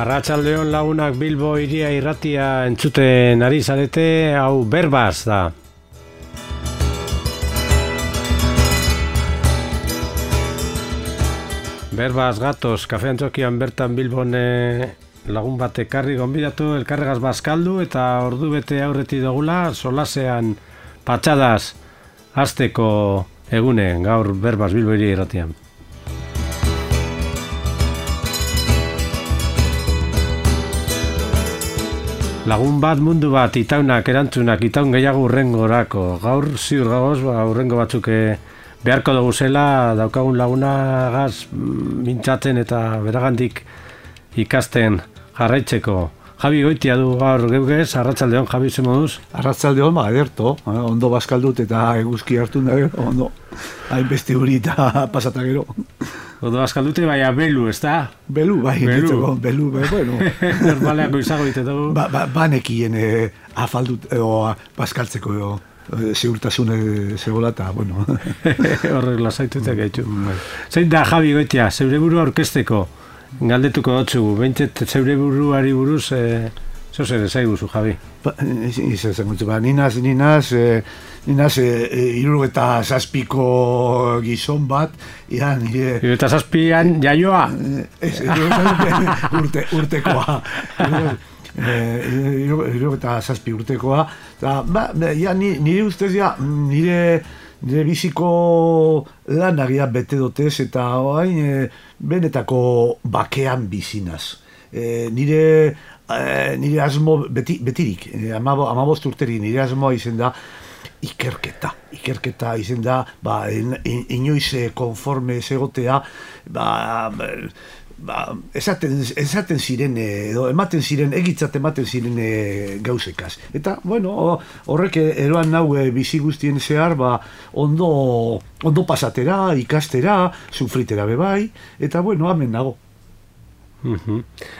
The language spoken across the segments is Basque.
Arratsaldeon lagunak Bilbo Hiria irratia entzuten ari zarete, hau Berbaz da. Berbaz gatoz, kafe antzokian bertan Bilbon lagun bat ekarri gonbidatu, elkarregaz bazkaldu eta ordu bete aurreti dugula, solasean patxadaz hasteko egunen, gaur Berbaz Bilbo Hiria irratian. Lagun bat, mundu bat, itaunak, erantzunak, itaun gehiago urrengorako. Gaur ziur gagoz, urrengo batzuk beharko dugu zela, daukagun lagunagaz mintzatzen eta beragandik ikasten jarraitzeko. Javi Goitia du gaur geugez, arratsaldeon, Javi, ze moduz? Arratsaldeon, ederto, ondo bazkaldut eta eguzki hartu nahi, ondo, hainbeste hori eta pasata gero. Ondo bazkaldute, baina belu, ez da? Belu, belu, bueno. Normaleako izago ditetu. Banekien afaldut, bazkaltzeko ziurtasun zegoela eta, bueno. Horrek lasaitutek gaitu. Zein da, Javi Goitia, zeure burua aurkezteko? Galdetuko dutzu, behintzet zeure buruari buruz, zozer ezaiguzu, Javi? Ninaz, 67ko gizon bat, nire... 67an jaioa? Urtekoa. 67 urtekoa. Nire ustez, nire biziko lanagia bete dotez eta benetako bakean bizinaz. Nire asmo betirik, 15 urteri nire asmoa izen da ikerketa izen da, inoiz konforme egotea, esaten ziren, edo ematen ziren, egitzat ematen ziren gauzekaz. Eta, bueno, horrek eroan nau bizi guztien zehar, ondo pasatera, ikastera, sufritera bebai, eta, bueno, hemen nago.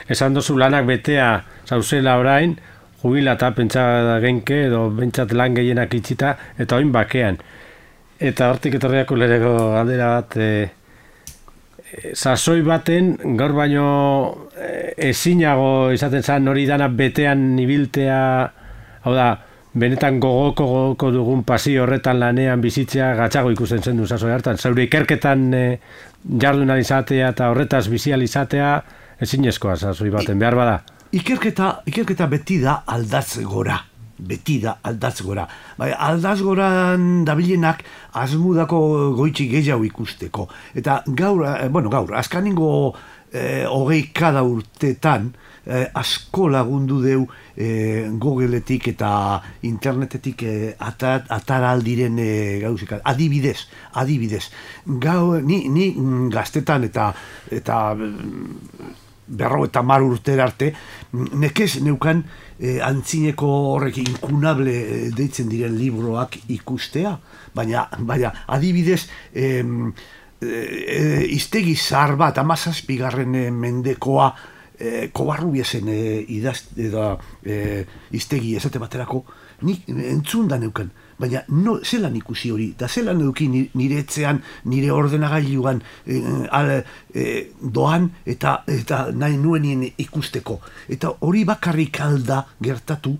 Esan dozu lanak betea zauzela orain, jubilata pentsa genke, edo bentsat lan gehienak itxita, eta oin bakean. Eta hortik etorriako lereko galdera bat, sasoi baten, gaur baino ezinago izaten zan hori dana betean ibiltea, hau da, benetan gogoko dugun pasio horretan lanean bizitzea gatzago ikusten zen du sasoi hartan. Zaure ikerketan jardun izatea eta horretaz bizi izatea ezinezkoa sasoi baten, behar bada. Ikerketa beti da aldatz gora. Aldaz goran dabilenak asmudako goitxi gehiago ikusteko. Eta gaur, azkaningo 20 urtetan asko lagundu deu Googleetik eta internetetik ataraldiren gauzika. Adibidez. Ni gaztetan eta 50 urtera arte, nekez neukan antzineko horrek inkunable deitzen diren libroak ikustea, baina adibidez iztegi zahar bat, 17. mendekoa Kobarrubiesen iztegi esate baterako, nik entzun da neukan, baina zelan ikusi hori, eta zelan eduki nire etxean, nire ordenagailuan doan eta nahi nuenien ikusteko. Eta hori bakarrik alda gertatu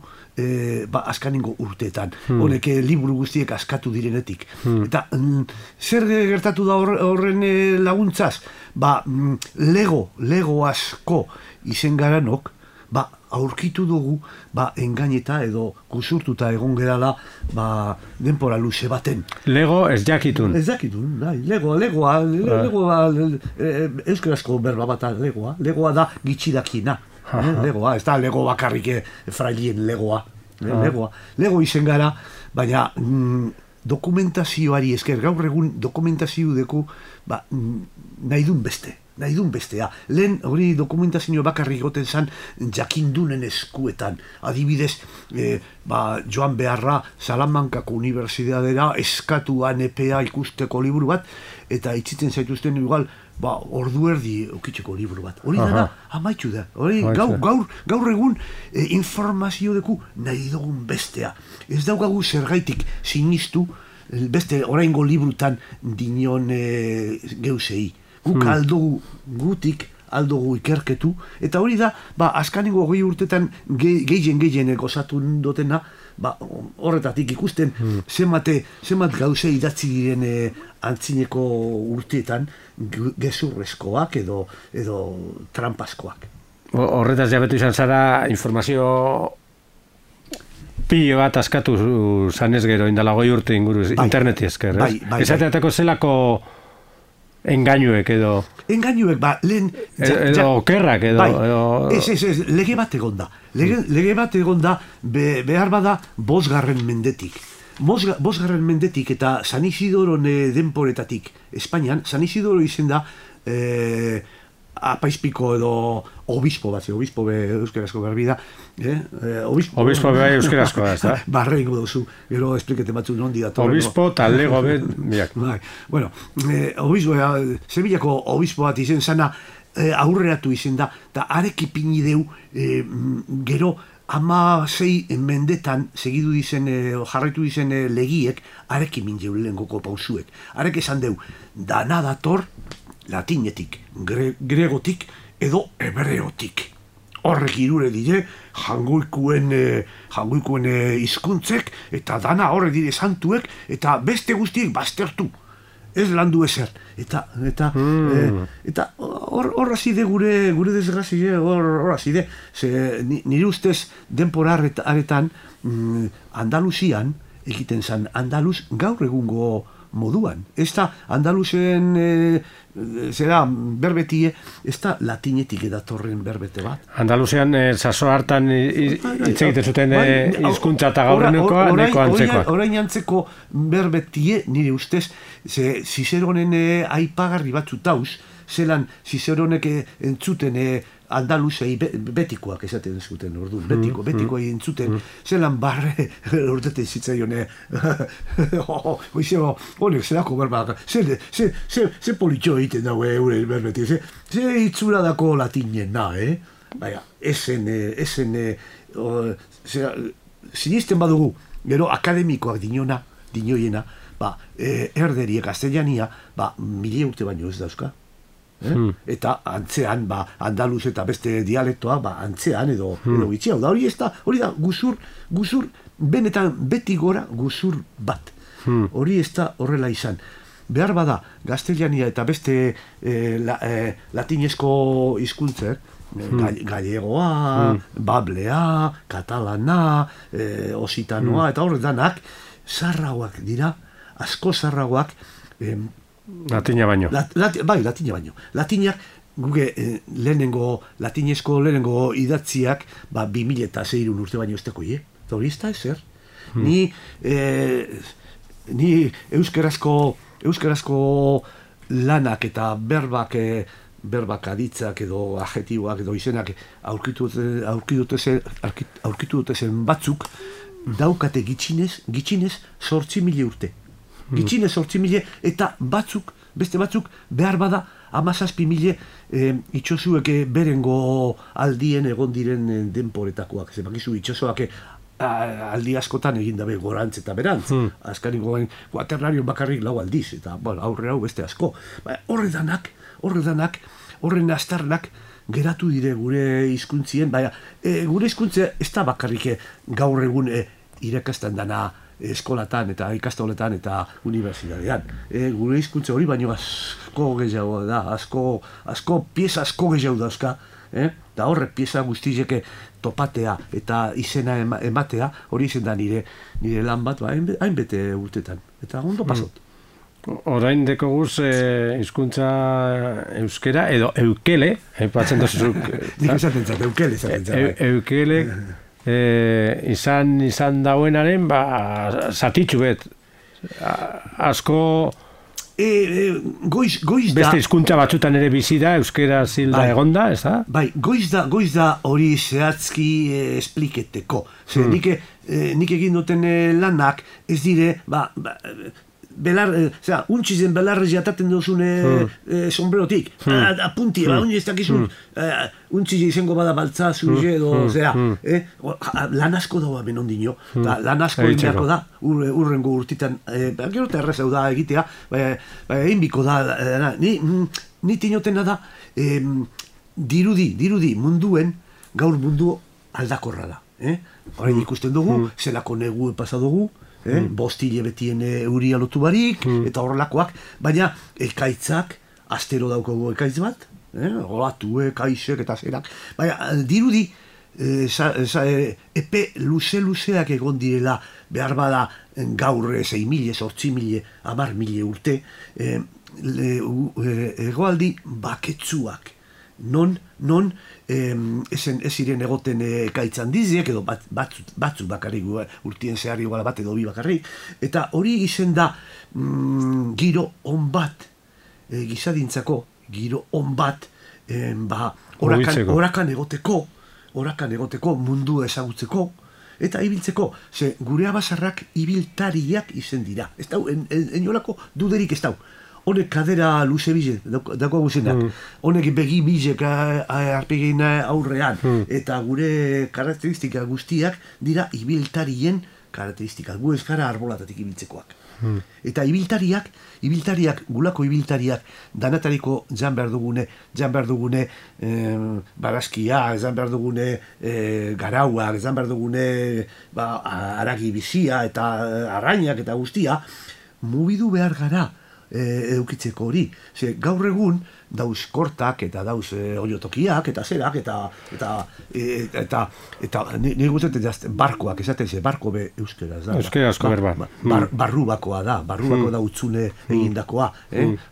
azkaningo urteetan. Honek liburu guztiek askatu direnetik. Eta zer gertatu da horren laguntzaz? Lego asko izen garanok, aurkitu dugu, engaineta edo kusurtuta egon gerala, denpora luze baten. Lego ez jakitun. Ez jakitun, legoa, euskarazko berba bat legoa. Legoa da gitxidakina. Legoa, ez da lego bakarrik frailien legoa. Lego izen gara, baina dokumentazioari esker, gaur egun dokumentazio deku, nahi dun bestea. Lehen hori dokumentazio bakarrik goten zan jakindunen eskuetan. Adibidez, joan beharra Salamankako Unibertsitatera eskatuan EPA ikusteko liburu bat, eta itzitzen zaituzten igual, ordu erdi ukitzeko liburu bat. Hori dana, amaitxu da. Hori gaur egun informazio deku nahi dugun bestea. Ez daukagu zergaitik sinistu beste oraingo librutan dinon geusei. Guk aldugu gutik aldugu ikerketu, eta hori da, azkanengo 20 urtetan gehien gozatu dutena, horretatik ikusten zenbat gauze idatzi diren antzineko urteetan gezurrezkoak edo trampaskoak. Horretaz jabetu izan zara informazio pilo bat askatu zanez gero, indala 20 urte inguru, interneti esker, ez? Esateatako zelako engainuek edo... Engainuek, lehen... Edo okerrak edo... Ez, lege bat egon da. Lege bat egon da, behar bada, 5. mendetik. 5. mendetik eta San Isidoron denporetatik Espainian, San Isidoro izen da apaizpiko edo obispo bat, obispo be euskarazko garbi da, obispo be euskarazko da, ez da? Barrengo duzu, gero esplikete batzu nondi da. Obispo talego be, biak. Bueno, obispo, Sevillako obispo bat izen zana aurreratu izen da, eta arek ipini deu, gero 16 mendetan segidu dizen, jarraitu dizen legiek, arek imin jeu lehengoko pausuek. Arek esan deu, dana dator latinetik, gregotik edo hebreotik. Horrek irure dire, jangoikuen hizkuntzek eta dana horre dire santuek eta beste guztiek baztertu. Ez landu ezer. Eta hor azide gure desgrazie, hor azide. Nire ustez denpora aretan Andaluzian egiten zan Andaluz gaur egungo moduan. Ez da Andaluzen berbetie, ez da latinetik edatorren berbete bat. Andaluzian saso hartan hitz egiten zuten hizkuntza eta gaurrenekoa neko antzekoak. Orain antzeko berbetie nire ustez, Zizeronen aipagarri batzu tauz, zelan Zizeronek entzuten Andaluzei betikoak esaten zuten, orduan, betikoai entzuten, zelan barre urteten zitzaion, honek zerako berbak, ze politxo egiten dago eure berbeti, ze hitzura dako latinen na, baina, esen, sinisten badugu, gero akademikoak dinoiena, erderie, gaztelania, 1000 urte baino ez dauzka. Eta antzean, Andaluz eta beste dialektoa, antzean edo gitxia. Hori da guzur, benetan beti gora guzur bat. Hori ez da horrela izan. Behar bada, gaztelania eta beste latinezko hizkuntzek, gallegoa, bablea, katalana, ositanoa, eta horretanak, zarragoak dira, asko zarragoak, Latina baino. Latina baino. Latinak, guge latinezko lehenengo idatziak, 2006 urte baino ez deko, eta hori ez da ezer. Ni euskarazko lanak eta berbak aditzak edo adjetiboak edo izenak aurkitu dute zen batzuk, daukate gitxinez 8.000 urte. Gitxinez 8.000 eta beste batzuk behar bada 17.000 itxosuek berengo aldien egon diren denporetakoak. Zebakizu itxosoak aldi askotan egin dabe gorantz eta berantz. Azkanikoen kuaternario bakarrik 4 aldiz, eta aurre hau beste asko. Horredanak, horren astarnak geratu dire gure hizkuntzien, gure hizkuntza ez da bakarrik gaur egun irakasten dana eskolatan eta ikastoletan eta unibertsitatean. Gure hizkuntza hori baino asko gehiago da, pieza asko gehiago dauzka, eta horrek pieza guztiek topatea eta izena ematea, hori izen da nire lan bat, hainbete urtetan, eta ondo pasot. Orain deko guz hizkuntza euskera edo eukele, aipatzen dozuzuk. Nik esaten zat, eukele esaten zat. Eukele, izan dauenaren, zatitxu bet. Asko... Goiz da... Beste hizkuntza batzutan ere bizi da, euskera zilda egonda, ez da? Goiz da hori zehatzki espliketeko. Nik egin duten lanak, ez dire, untxizen belarrez jataten duzune sombrerotik, apunti, ez dakizun, untxize izango bada baltza zure edo, lan asko dagoa benondino, lan asko inbiako da, urrengo urtitan, gero eta errezau da egitea, egin biko da, ni tinotena da, dirudi munduen, gaur mundu aldakorra da. Orain ikusten dugu, zelako negu pasa dugu, bostile betien euria lotu barik, eta horrelakoak, baina ekaitzak, astero daukagu ekaitz bat, olatu, ekaizek eta zerak, baina dirudi, epe luzeak egon direla, behar bada gaur 6.000, 8.000, 10.000 urte, egoaldi baketsuak, non ez ziren egoten ekaitz handiziek, edo batzuk bakarrik, urtien zehar igual bat edo bi bakarrik, eta hori izen da giro on bat, gizadintzako giro on bat, orakan egoteko, mundu ezagutzeko, eta ibiltzeko, ze gure abasarrak ibiltariak izen dira. Ez dau, enolako duderik ez dau. Honek kadera luze bize, dako guzenak. Honek begi bizek arpegin aurrean. Eta gure karakteristika guztiak dira ibiltarien karakteristika. Gu ez gara arbolatatik ibiltzekoak. Eta ibiltariak, gulako ibiltariak, danatariko jan behar dugune barazkia, jan behar dugune garauak, jan behar dugune aragi bizia eta arrainak eta guztia, mugidu behar gara eukitzeko hori. Ze gaur egun dauz kortak eta dauz oiotokiak eta zerak eta nire gustatzen barkoak esaten ze, barko be euskeraz da. Euskarazko berba. Barrubakoa da utzune egindakoa.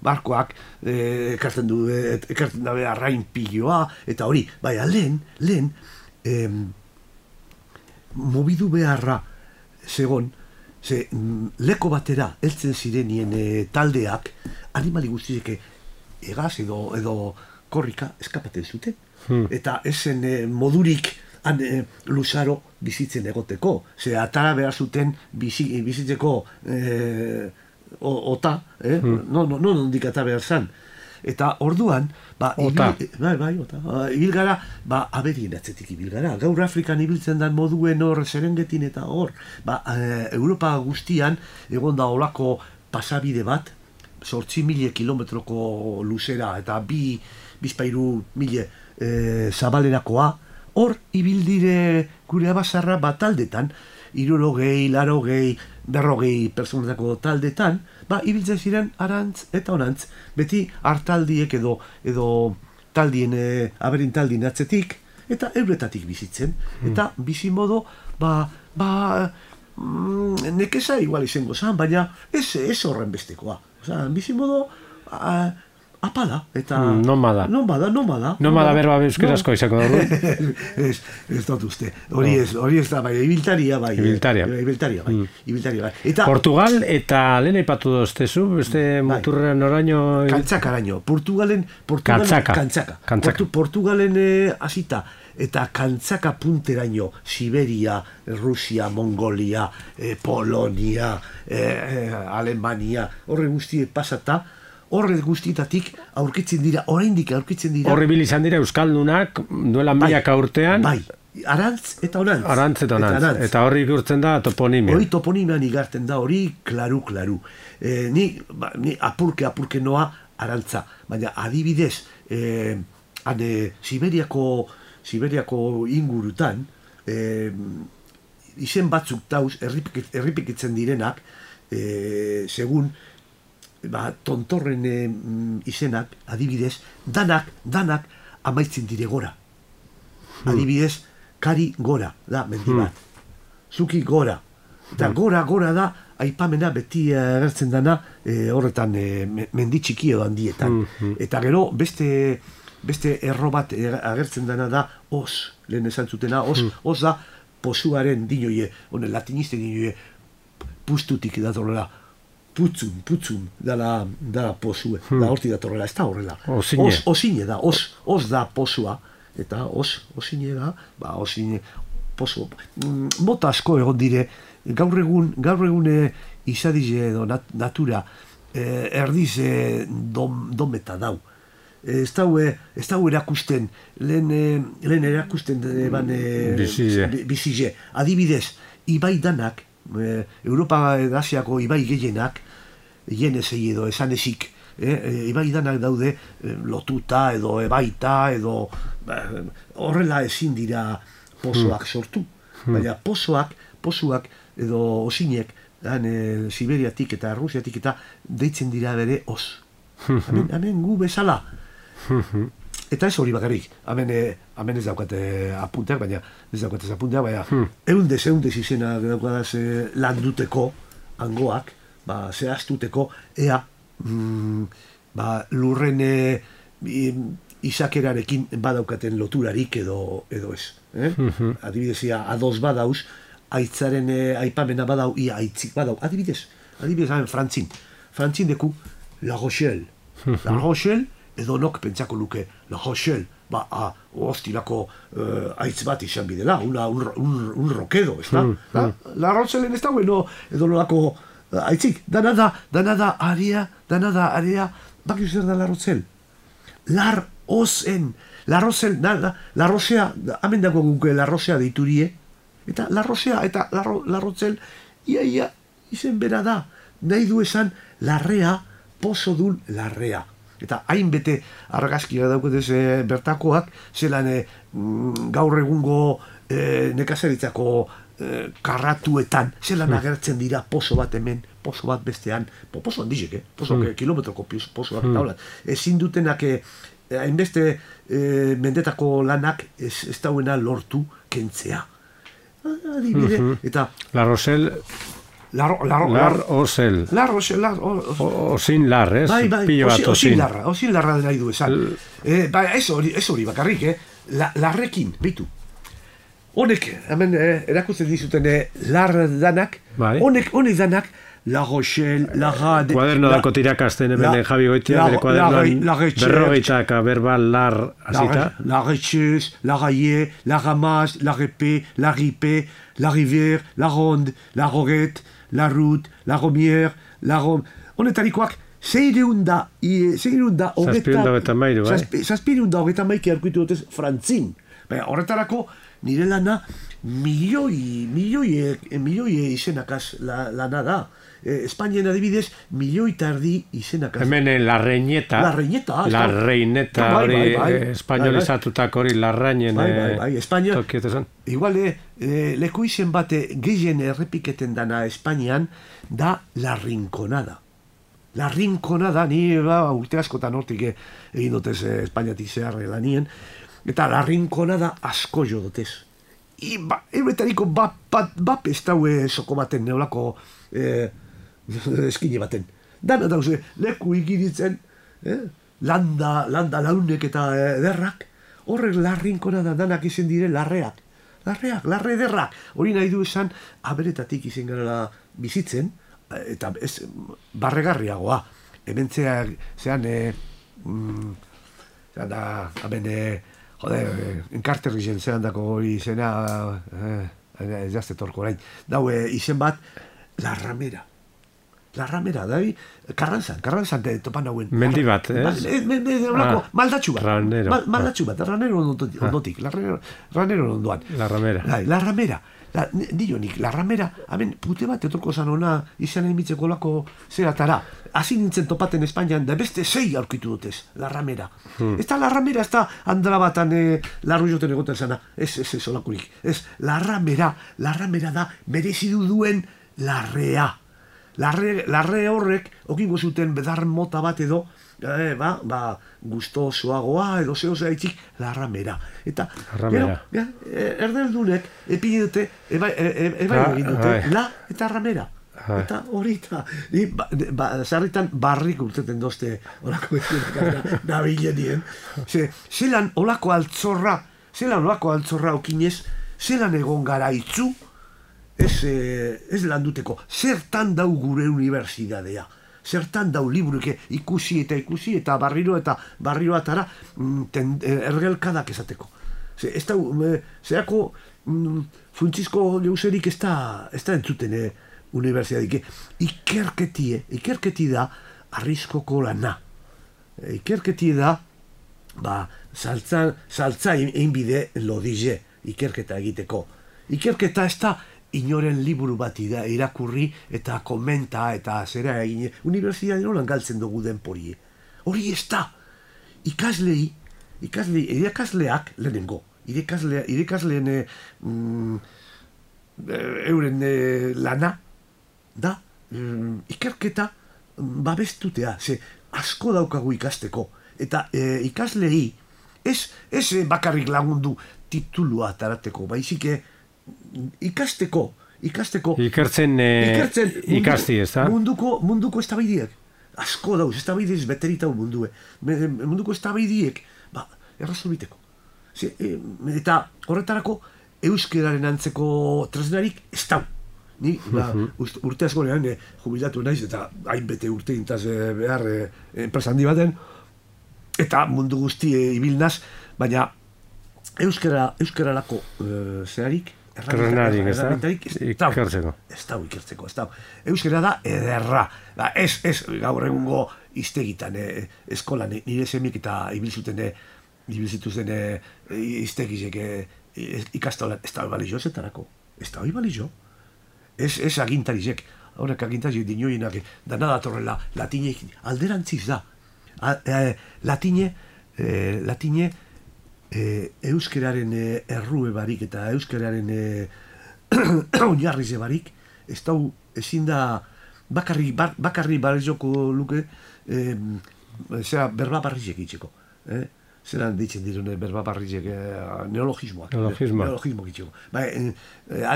Barkoak ekartzen dabe arrain piloa eta hori. Baina lehen mobidu beharra zegon, ze leko batera heltzen zirenien taldeak animali guztiek egaz edo korrika eskapaten zuten. Eta esen modurik luzaro bizitzen egoteko. Ze atara behar zuten bizitzeko ota, non ondik atara behar zan. Eta orduan, ibil gara, aberien atzetik ibil gara. Gaur Afrikan ibiltzen dan moduen hor Serengetin eta hor. Europa guztian, egon da olako pasabide bat, 8.000 kilometroko luzera eta 2.000 zabalerakoa, hor ibildire gure abasarra taldetan, 60, 80, 40 personetako taldetan, ibiltzen ziren arantz eta onantz, beti hartaldiek edo taldien, aberin taldien atzetik, eta euretatik bizitzen. Eta bizimodo, nekeza igual izango zan, baina ez horren bestekoa. Bizimodo apala, eta... Nomada. Nomada berba euskarazko izako dugu. Ez dut uste. Hori ez da, bai, ibiltaria bai. Eta Portugal eta lehen aipatu doztezu, beste muturrean oraino... Kantzakaraino. Portugalen hasita eta kantzaka punteraino, Siberia, Rusia, Mongolia, Polonia, Alemania, horre guztie pasata, horre guztietatik oraindik aurkitzen dira. Horre bilizan dira Euskaldunak duela milaka urtean. Bai, arantz eta onantz. Eta horri ikurtzen da toponimia. Hori toponimian igartzen da, hori klaru. Ni apurke noa arantza. Baina adibidez, Siberiako ingurutan, izen batzuk dauz, erripikitzen direnak, segun, tontorren izenak, adibidez, danak amaitzen dire gora. Adibidez, kari gora, da, mendi bat. Zuki gora. Eta gora da, aipamena beti agertzen dana, horretan, mendi txiki edo handietan. Eta gero, beste erro bat agertzen dana da, os, lehen esan zutena, os da, posuaren dinoie, honen latiniste dinoie, pustutik datorrela, putzum, dala posue, da horti datorrela, ez da horrela. Osine da, os da posua, eta osine da, osine, posu. Mota asko egon dire, gaur egun izadize edo natura, erdiz dometa dau. Ez dau erakusten, lehen erakusten bizize. Adibidez, ibai danak, Europa Asiako ibai gehienak, jenezei edo esanezik, ibai danak daude lotuta edo ebaita edo horrela ezin dira pozoak sortu. Baina pozoak edo osinek Siberiatik eta Rusiatik eta deitzen dira bere os. Hemen gu bezala. Eta ez hori bakarrik, hemen ez daukate apunteak, baina eundez izena daukadaz landuteko, angoak, zehaztuteko, ea lurren izakerarekin badaukaten loturarik edo ez. Adibidez, ados badauz, aitzaren aipamena badau, ia aitzik badau. Adibidez, Frantzin deku La Rochelle. La Rochelle, edo nok pentsako luke, La Rochelle, hostilako aitz bat izan bidela, un rokedo, ez da? La Rochelle ez da, bueno, edo nolako aitzik, dana da area, baki zer da La Rochelle? La Rosea, hamen dago guke La Rosea deiturie, eta La Rosea eta La Rochelle, ia, izen bera da, nahi du esan larrea, pozo dun larrea. Eta hainbete argazkia dauketez bertakoak, zelan gaur egungo nekazaritzako karratuetan, zelan agertzen dira pozo bat hemen, pozo bat bestean, pozo handizek, pozo kilometroko pozoak eta hola. Ezin dutenak hainbeste mendetako lanak ez dauena lortu kentzea. Adibide, eta La Rochelle... Lar Osel. Osin lar, ez? Osin larra nahi du esan. Ez hori bakarrik, larrekin, bitu. Honek, hemen erakutzen dizuten lar danak, honek danak, La Rochelle, La Rade... Kuaderno dako tirakasten hemen Javi Goitia, bere kuadernoan berrogeitaka berbal lar azita. La Recheuse, La Raillé, La Ramasse, La Répé, La Ripé, La Rivière, La Ronde, La Roguette, La Route, La Romière, La Rom... Honetarikoak, zeireunda hogeta maiki arkuitu dutez Frantzin. Horretarako, nire lana milioi izenakaz lana da. Espainien adibidez, milioi tardi izenakaz. Hemen la reineta hori espainolizatutak hori larrainen tokietesan. Igual, leku izen bate gehien errepiketen dana Espainian da La Rinconada. La Rinconada, ni urte askotan hortik egin dutez Espainiatik zehar lanien, eta La Rinconada asko jo dutez. Ebetariko bat pestaue soko baten neolako eskine baten. Dana dauze, leku ikiritzen, landa launek eta derrak, horrek La Rinconada danak izen dire larreak. Larre derrak. Hori nahi du esan, aberetatik izen gara bizitzen, eta ez barregarriagoa. Hemen zean, enkarterri zean dako hori izena, ez jazte torko orain. Dau, izen bat, La Ramera. La Ramera, da, Karrantzan topan hauen. Mendi bat, ez? Maldatxu bat, Ranero ondotik, Ranero ondoan. La Ramera. La Ramera. Dionik, La Ramera, hemen pute bat etorko zan ona izan emitzeko lako zeratara. Hasi nintzen topaten Espainian, da beste 6 aurkitu dutez, La Ramera. Ez da La Ramera, ez da handala batan larru joten egoten zana. Ez olakurik. Ez, La Ramera da merezidu duen larrea. Larre horrek, okingo zuten bedar mota bat edo, gustosoagoa edo zehose haitzik, La Ramera. Eta, erdeldunek, epide dute, egin dute, La eta Ramera. Eta hori eta, zarritan barrik urteten dozte olako nabilenien. Zelan olako altzorra okinez, zelan egon gara itzu, ez landuteko, zertan dau gure unibertsidadea, zertan dau libruke ikusi eta barriro atara ergelkadak esateko. Ez da, zerako funtzizko jauzerik ez da entzuten unibertsidadik. Ikerketi da arriskoko lana. Ikerketi da, saltza einbide lodize ikerketa egiteko. Ikerketa ez da inoren liburu bat irakurri eta komenta eta zera egin. Unibertsitatea nolan galtzen dugu denporie. hori ez da. Irakasleak lehenengo, irakasleen euren lana da ikerketa babestutea, ze asko daukagu ikasteko, eta ikaslei ez bakarrik lagundu titulua tarateko, baizik ikasteko ikertzen ikasti, ez da? Munduko eztabaidiek asko dauz, eztabaidiez beteritau munduko eztabaidiek errazulbiteko. Eta horretarako euskeraren antzeko tresnarik ez dau. Ni urte askorean jubilatu naiz eta hainbete urte intaz behar enpresa handi baten eta mundu guzti ibilnaz, baina euskerarako zerarik erranarik, ez da? Ikertzeko. Euskera da ederra. Ez gaur egungo iztegitan, eskolan, nire semik eta ibilzituzen iztegizek ikastolan, ez da balizo zetarako. Ez da balizo. Ez agintarizek. Horrek agintarizek dinoienak, dana datorrela, latinek alderantziz da. Latine euskeraren errue barik eta euskeraren oinarrize barik, ez da ezin da bakarri barrizoko luke berba barrizek itxeko. Zeran ditzen dirune berba barrizek neologismoak. Neologismoak itxeko.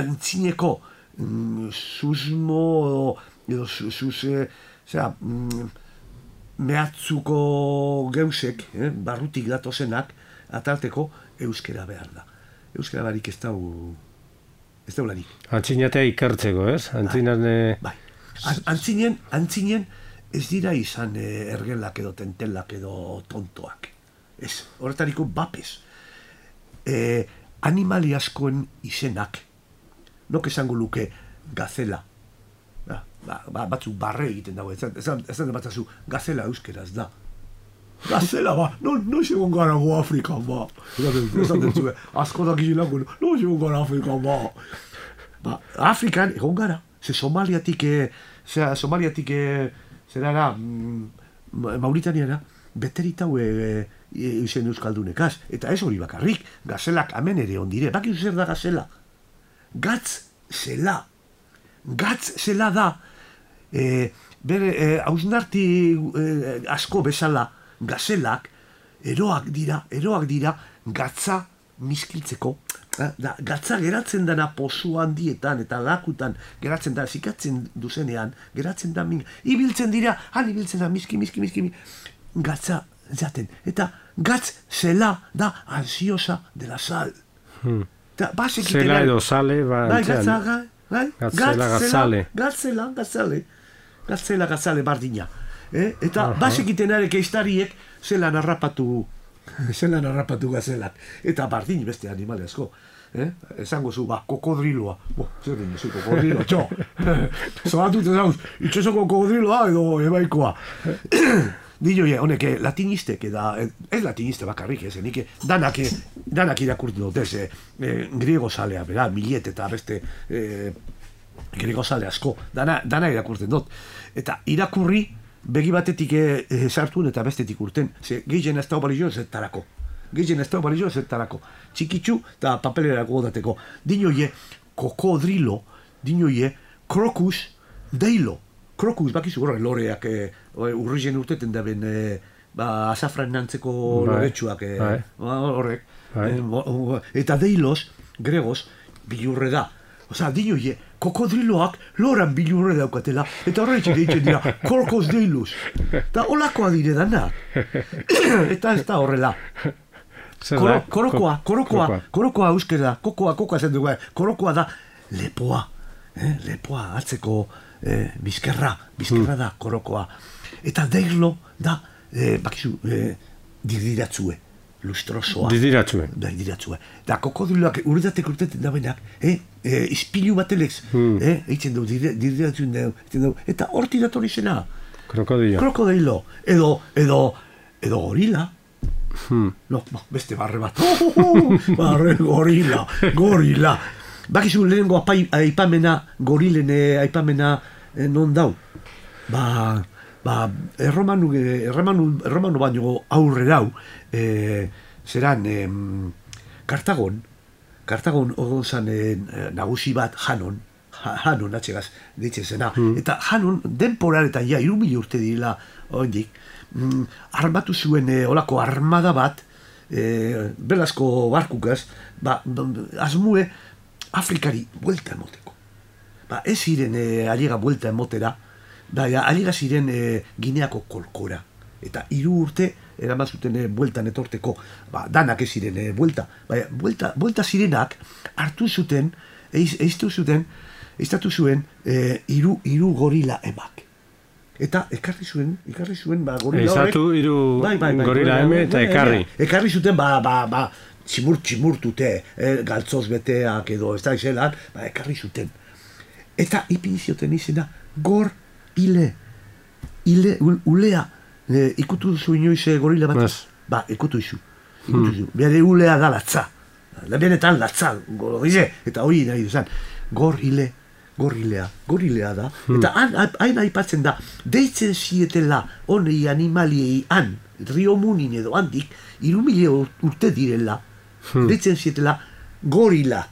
Antzineko susmo mehatzuko geusek, barrutik datozenak, atarteko euskera behar da. Euskera barik ez dau lanik. Antzinatea ikertzeko, ez? Antzinen ez dira izan ergelak edo tentelak edo tontoak. Ez, horretariko bapez. Animali askoen izenak, nok esango luke gazela. Batzuk barre egiten dago, ez da batzazu, gazela euskeraz da. Gazela no egon gara go Afrikan esaten zuen, asko dakizilako, no egon gara Afrikan Afrikan egon gara, ze Somaliatik zerara Mauritaniara, beteritau eusen euskaldunekaz, eta ez hori bakarrik, gazelak amen ere ondire, bakizu zer da gazela? Gatz zela da, bere hausnarti asko bezala, gazelak eroak dira gatza miskiltzeko. Gatza geratzen dana pozu handietan eta lakutan geratzen da, zikatzen duzenean, geratzen da, ibiltzen dira, ibiltzen da, miski, gatza jaten. Eta gatz zela da ansiosa de la sal. Zela edo sale, Gatzela bardina. Eta basekiten arek eistariek zelan harrapatu gazelak. Eta bardin beste animale asko. Esango zu, kokodriloa. Zer den zu, kokodriloa, txo. Zoratute zauz, itxosoko kokodriloa edo ebaikoa. Dino, honek, latinistek, ez latiniste bakarrik, nik danak irakurtu dut, griego salea, bera, Millet eta beste griego sale asko, dana irakurten dut. Eta irakurri, begi batetik sartuen eta bestetik urten, ze gehien ez da balizio zertarako. Txikitsu eta papelerako godateko. Dinoie, kokodrilo, dinoie, krokus, deilo. Krokus, bakizu horre, loreak urrizen urteten da ben azafran nantzeko loretsuak horrek. Eta deilos, gregos, bilurre da. Osa, dinoie, kokodriloak loran bilurre daukatela, eta horretxe deitzen dira, korkos deilus. Eta holakoa dire dana. Eta ez da horrela. Korokoa euskera, kokoa zen dugu, korokoa da lepoa. Lepoa, atzeko bizkerra da korokoa. Eta deilo da, bakizu, didiratzue, lustrosoa. Didiratzue. Da kokodriloak urretatek urteten da benak, izpilu batelex, eitzen du, didiratzuen du, eta horti dator izena. Krokodilo. Edo gorila. No, beste barre bat. Barre gorila. Bakizu lehenengo aipamena, gorilene aipamena non dau. erromanu baino aurrerau, zeran, Kartagon ogon zan nagusi bat Hanon atxegaz, ditzen zena. Eta Hanon, denporaretan, 3.000 urte direla, oindik, armatu zuen olako armada bat, belazko barkukaz, asmue Afrikari buelta emoteko. Ez ziren aliega buelta emotera, aliega ziren Gineako kolkora. Eta 3 urte eraman zuten bueltan etorteko, danak ez ziren buelta. Buelta zirenak hartu zuten, eiztatu zuen 3 gorila emak. Eta ekarri zuen gorila horrek. Eizatu 3 gorila eme eta ekarri. Ekarri zuten, tximurtute, galtzoz beteak edo, ez da izelan, ekarri zuten. Eta ipinizioten izena, gor ile, ulea, ikutu duzu inoiz gorila bat? Ikutu izu. Bere ulea da latza. Benetan latza, eta hori nahi duzan, gorilea da. Eta hain aipatzen da, deitzen zietela honei animaliei han, Rio Munin edo handik, 3.000 urte direla, deitzen zietela gorilak.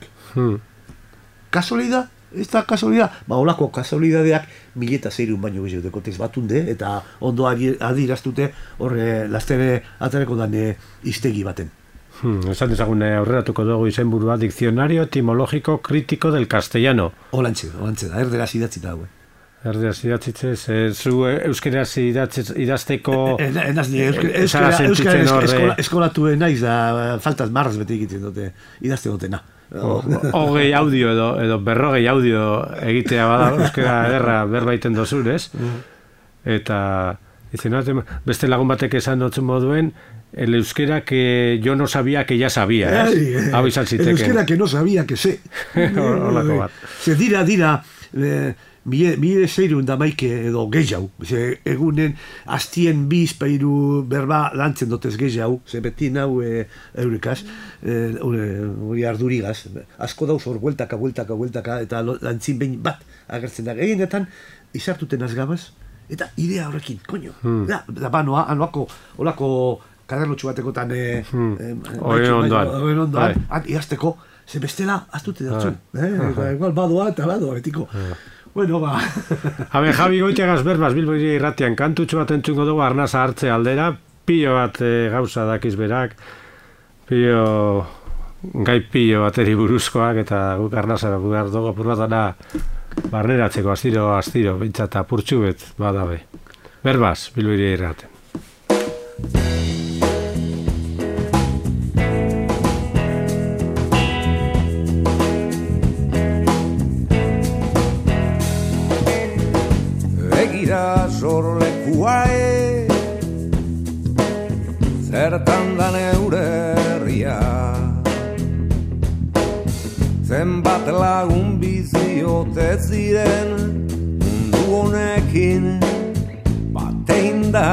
Kasualidad? Ez da kasualidad? Olako kasualidadeak 1.600 baino gehiago tez batunde, eta ondo adiraztute horre lastere atareko dan iztegi baten. Esan dezagun aurreratuko dugu izenburua, Diccionario Etimológico Crítico del Castellano. Olantxe da, erderaz idatzita dago. Erderaz idatzitzez, zu euskeraz idazteko... Eskolatu naiz da, faltaz marraz bete egiten dute, idazte dutena. Hogei audio edo 40 audio egitea bada, euskera ederra berbaiten dozun, ez? Eta beste lagun batek esan dutzen moduen, el euskera que yo no sabía que ya sabía, ¿eh? Hau izan ziteken. El euskera que no sabía que sé. Horlako bat. Ze dira, mire zeirun da maike edo gehiago. Egunen, astien bizpairu berba lantzen dotez gehiago, ze beti nau eurekaz, hori ardurigaz. Asko dauz hor, bueltaka, eta lantzin behin bat agertzen da. Gehienetan, izartuten azgabaz, eta idea horrekin, koño. Da banoa, olako kaderlotxu batekotan oen ondoan, iazteko, ze bestela, aztute datzu. Igual badoa eta betiko. Bueno, Javi Goitiagaz berbaz Bilbo irratian kantutxo bat entzungo dugu arnaza hartze aldera, pilo bat gauza dakiz berak, gai pilo bateri buruzkoak, eta guk arnaza behar dugu apur bat dana barneratzeko astiro, bintzata apurtxu bet badabe. Berbaz, Bilbo irratian. Begira sorlekuae, zertan da neure herria, zenbat lagun biziote ziren mundu honekin batein da,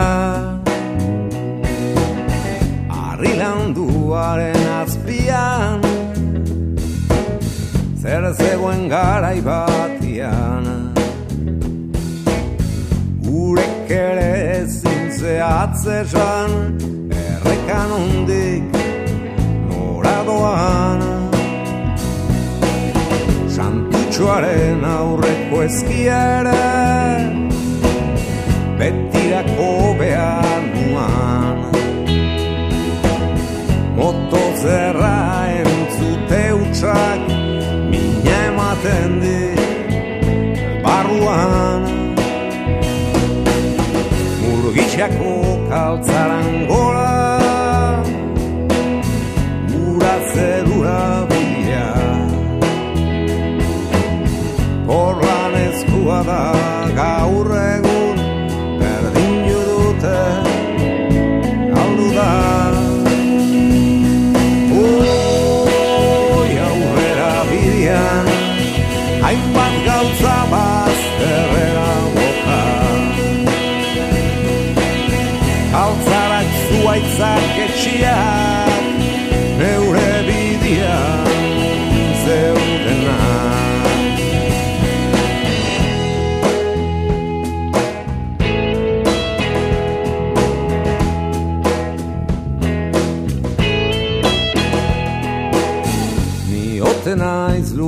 harri landuaren azpian, zer zegoen garai batian, gurek ere ezin zehatzesan, errekan hondik nora doan, Santutxoaren aurreko ezkiere, betirako behar nuan, motozerra entzute utxak, mina ematen dit barruan, Murgitxako kaltzaran gora, ura zerura bila, horlan ezkua da gaur egun, berdin judute galdu da. Oi aurrera bidean, hainbat gauza bazterrera boka, altzarak zuaitzak etxiak, neure bidean zeudenak.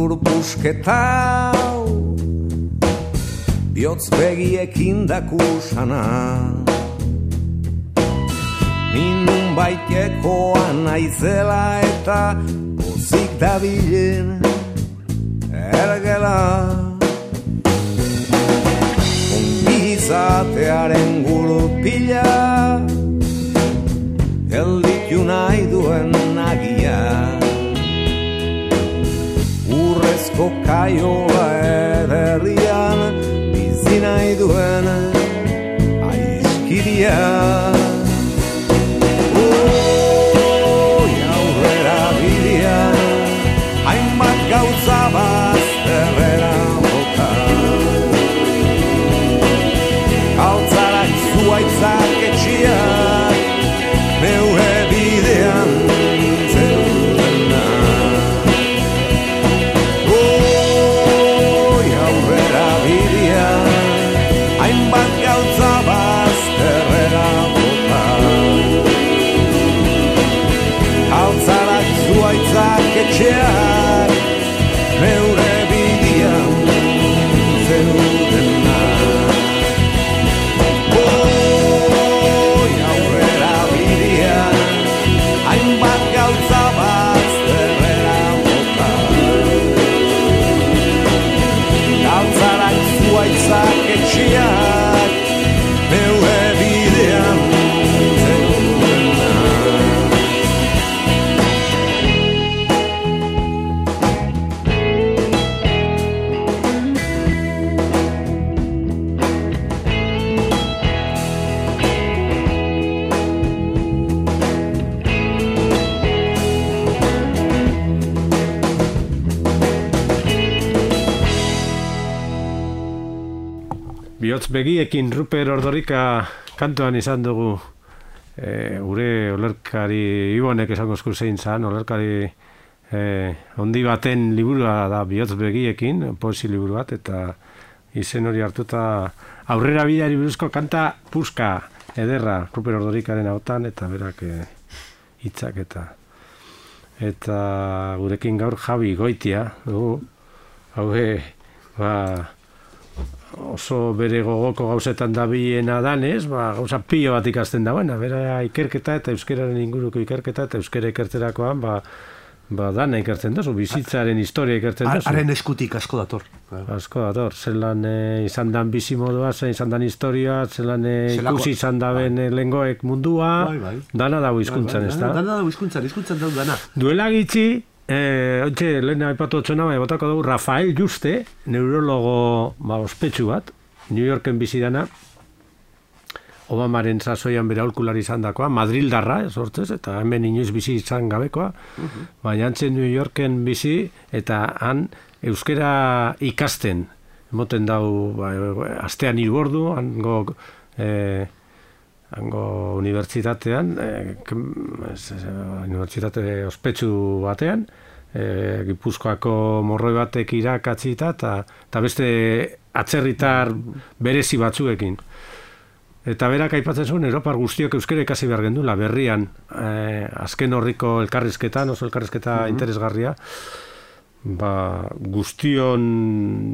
lur pusketau, bihotz begiekin dakusana. Ninun baitekoa naizela eta pozik dabilen ergela. Ongizatearen gurpila, gelditu nahi duen nagia. Urrezko kaiola ederrian, bizi nahi duen aiskiria. Aurrera bidean, hainbat gauza bazterrera bota. Galtzarak zuaitzak etxiak, neure bidean zeudena. Aurrera bidean, hainbat gauza bazterrera bota. Galtzarak zuaitzak etxeak, neure bidean zeudena. Aurrera bidean, hainbat gauza bazterrera bota. Galtzarak zuaitzak etxeak, neure bidean zeudena. Bihotz begiekin Ruper Ordorika kantuan izan dugu gure olerkari Ibonek esango esku zein zan, olerkari handi baten liburua da Bihotz begiekin, poesi liburu bat, eta izen hori hartuta aurrera bideari buruzko kanta puska ederra Ruper Ordorikaren ahotan, eta berak hitzak eta gurekin gaur Javi Goitia dugu, oso bere gogoko gauzetan dabiena danez, gauza pilo bat ikasten dagoena, bera ikerketa eta euskeraren inguruko ikerketa eta euskera ikertzerakoan, dana ikertzen dozu, bizitzaren historia ikertzen dozu. Haren eskutik asko dator. Asko dator, zelan izan dan bizimodua, izan dan historia, zelan ikusi izan daben lengoek mundua, dana dago hizkuntzan, ez da? Dana dago hizkuntzan dago dana. Duela gitxi, lehen aipatu otxona, botako dugu Rafael Juste, neurologo ospetsu bat, New Yorken bizi dana, Obamaren sasoian bere aholkulari izan dakoa, Madrildarra, sortzez, eta hemen inoiz bizi izan gabekoa, baina antzen New Yorken bizi, eta han euskera ikasten, emoten dau, astean 3 ordu, hango unibertsitatean, unibertsitate ospetsu batean, Gipuzkoako morroi batek irakatzita, eta beste atzerritar berezi batzuekin. Eta berak aipatzen zuen, Europar guztiok euskera ikasi behar gendula, berrian, azken horriko elkarrizketan, oso elkarrizketa interesgarria, guztion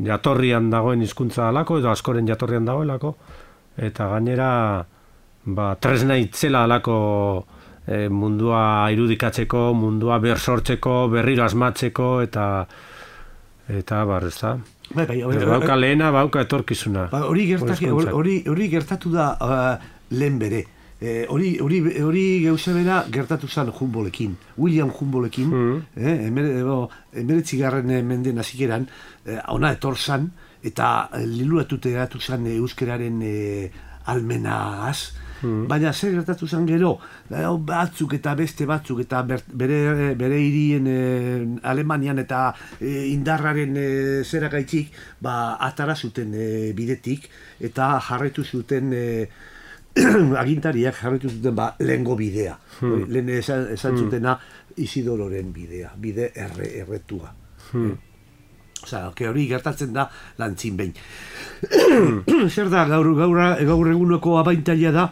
jatorrian dagoen hizkuntza alako, edo askoren jatorrian dagoelako, eta gainera, tresna itzela alako mundua irudikatzeko, mundua bersortzeko, berriro asmatzeko, eta ez da. Bauka lehena, bauka etorkizuna. Hori gertatu da lehen bere. Hori geuzebera gertatu zen Humboldtekin, William Humboldtekin, 19. menden hasieran, ona etor zan, eta liluratute geratu zen euskeraren almenaz, baina zer gertatu zen gero, batzuk eta beste batzuk, eta bere hirien Alemanian eta indarraren zeragaitzik, atara zuten bidetik, eta jarraitu zuten agintariak jarraitu zuten lehengo bidea. Lehen esan zutena Isidororen bidea, bide erretua. Hori gertatzen da lantzin behin. Zer da, gaur eguneko abaintalia da,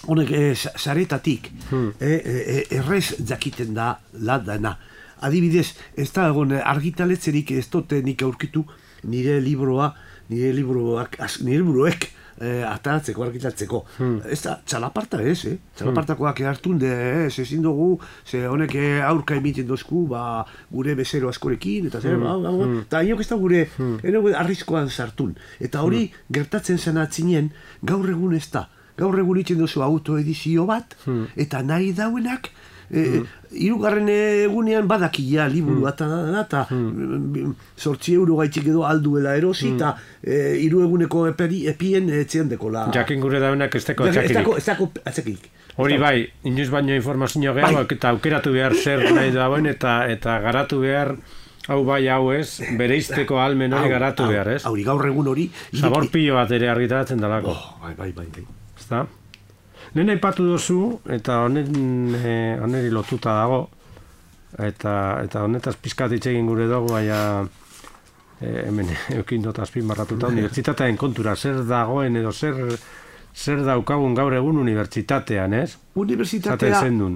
honek saretatik errez jakiten da ladana. adibidez, ez da egon argitaletzerik ez dute nik aurkitu nire libroek ataratzeko, argitaratzeko. Ez da, txalaparta ez, txalapartakoak hartunde, ezin dugu, ze honek aurka emiten dozku, gure bezero askorekin, eta zer, eta inok ez da gure, arriskoan sartun. Eta hori gertatzen zen atzinen, gaur egun ez da. Gaur egun itzen duzu autoedizio bat, eta nahi dauenak, hirugarren egunean badakia liburu eta 8 euro gaitxik edo alduela erosi eta 3 eguneko epien etxean dekola. Jakin gure dauenak ez deko atxakirik. Ez dako atxakirik. Hori bai, inoiz baino informazio gehiago eta aukeratu behar zer nahi dauen eta garatu behar hau bai hau ez, bereizteko almen hori garatu behar, ez? Hori gaur egun hori... Zabor pilo bat ere argitaratzen dalako. Bai. Ezta? Nena aipatu duzu, eta honeri lotuta dago, eta honetaz pizkat hitz egin gure dugu, baina hemen eukin dut azpimarratuta, unibertsitatearen kontura, zer dagoen edo zer daukagun gaur egun unibertsitatean, ez? Unibertsitatea... Zaten zendun.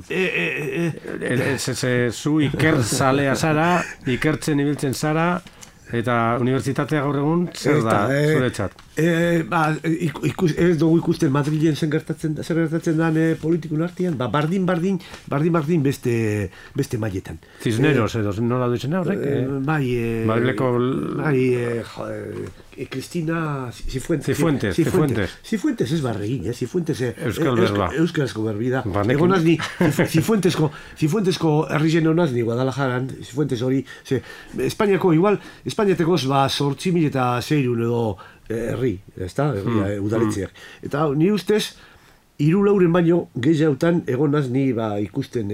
Zu ikertzalea zara, ikertzen ibiltzen zara, eta unibertsitatea gaur egun zer da, zuretzat? Ez dugu ikusten Madrilen zer gertatzen den politikun artean, bardin beste mailetan. Cisneros edo nola duitzen horrek? Madrileko... Cristina Cifuentes ez barregin, Cifuentes Euskarazko berbi da. Egon nazni, Cifuentesko herrizen honazni Guadalajaran, Cifuentes hori, Espainiako igual, Espainiatekoz 8.600 edo herri, ez da, udaletzeak. Eta ni ustez, 3 baino gehiagotan egon nazni ikusten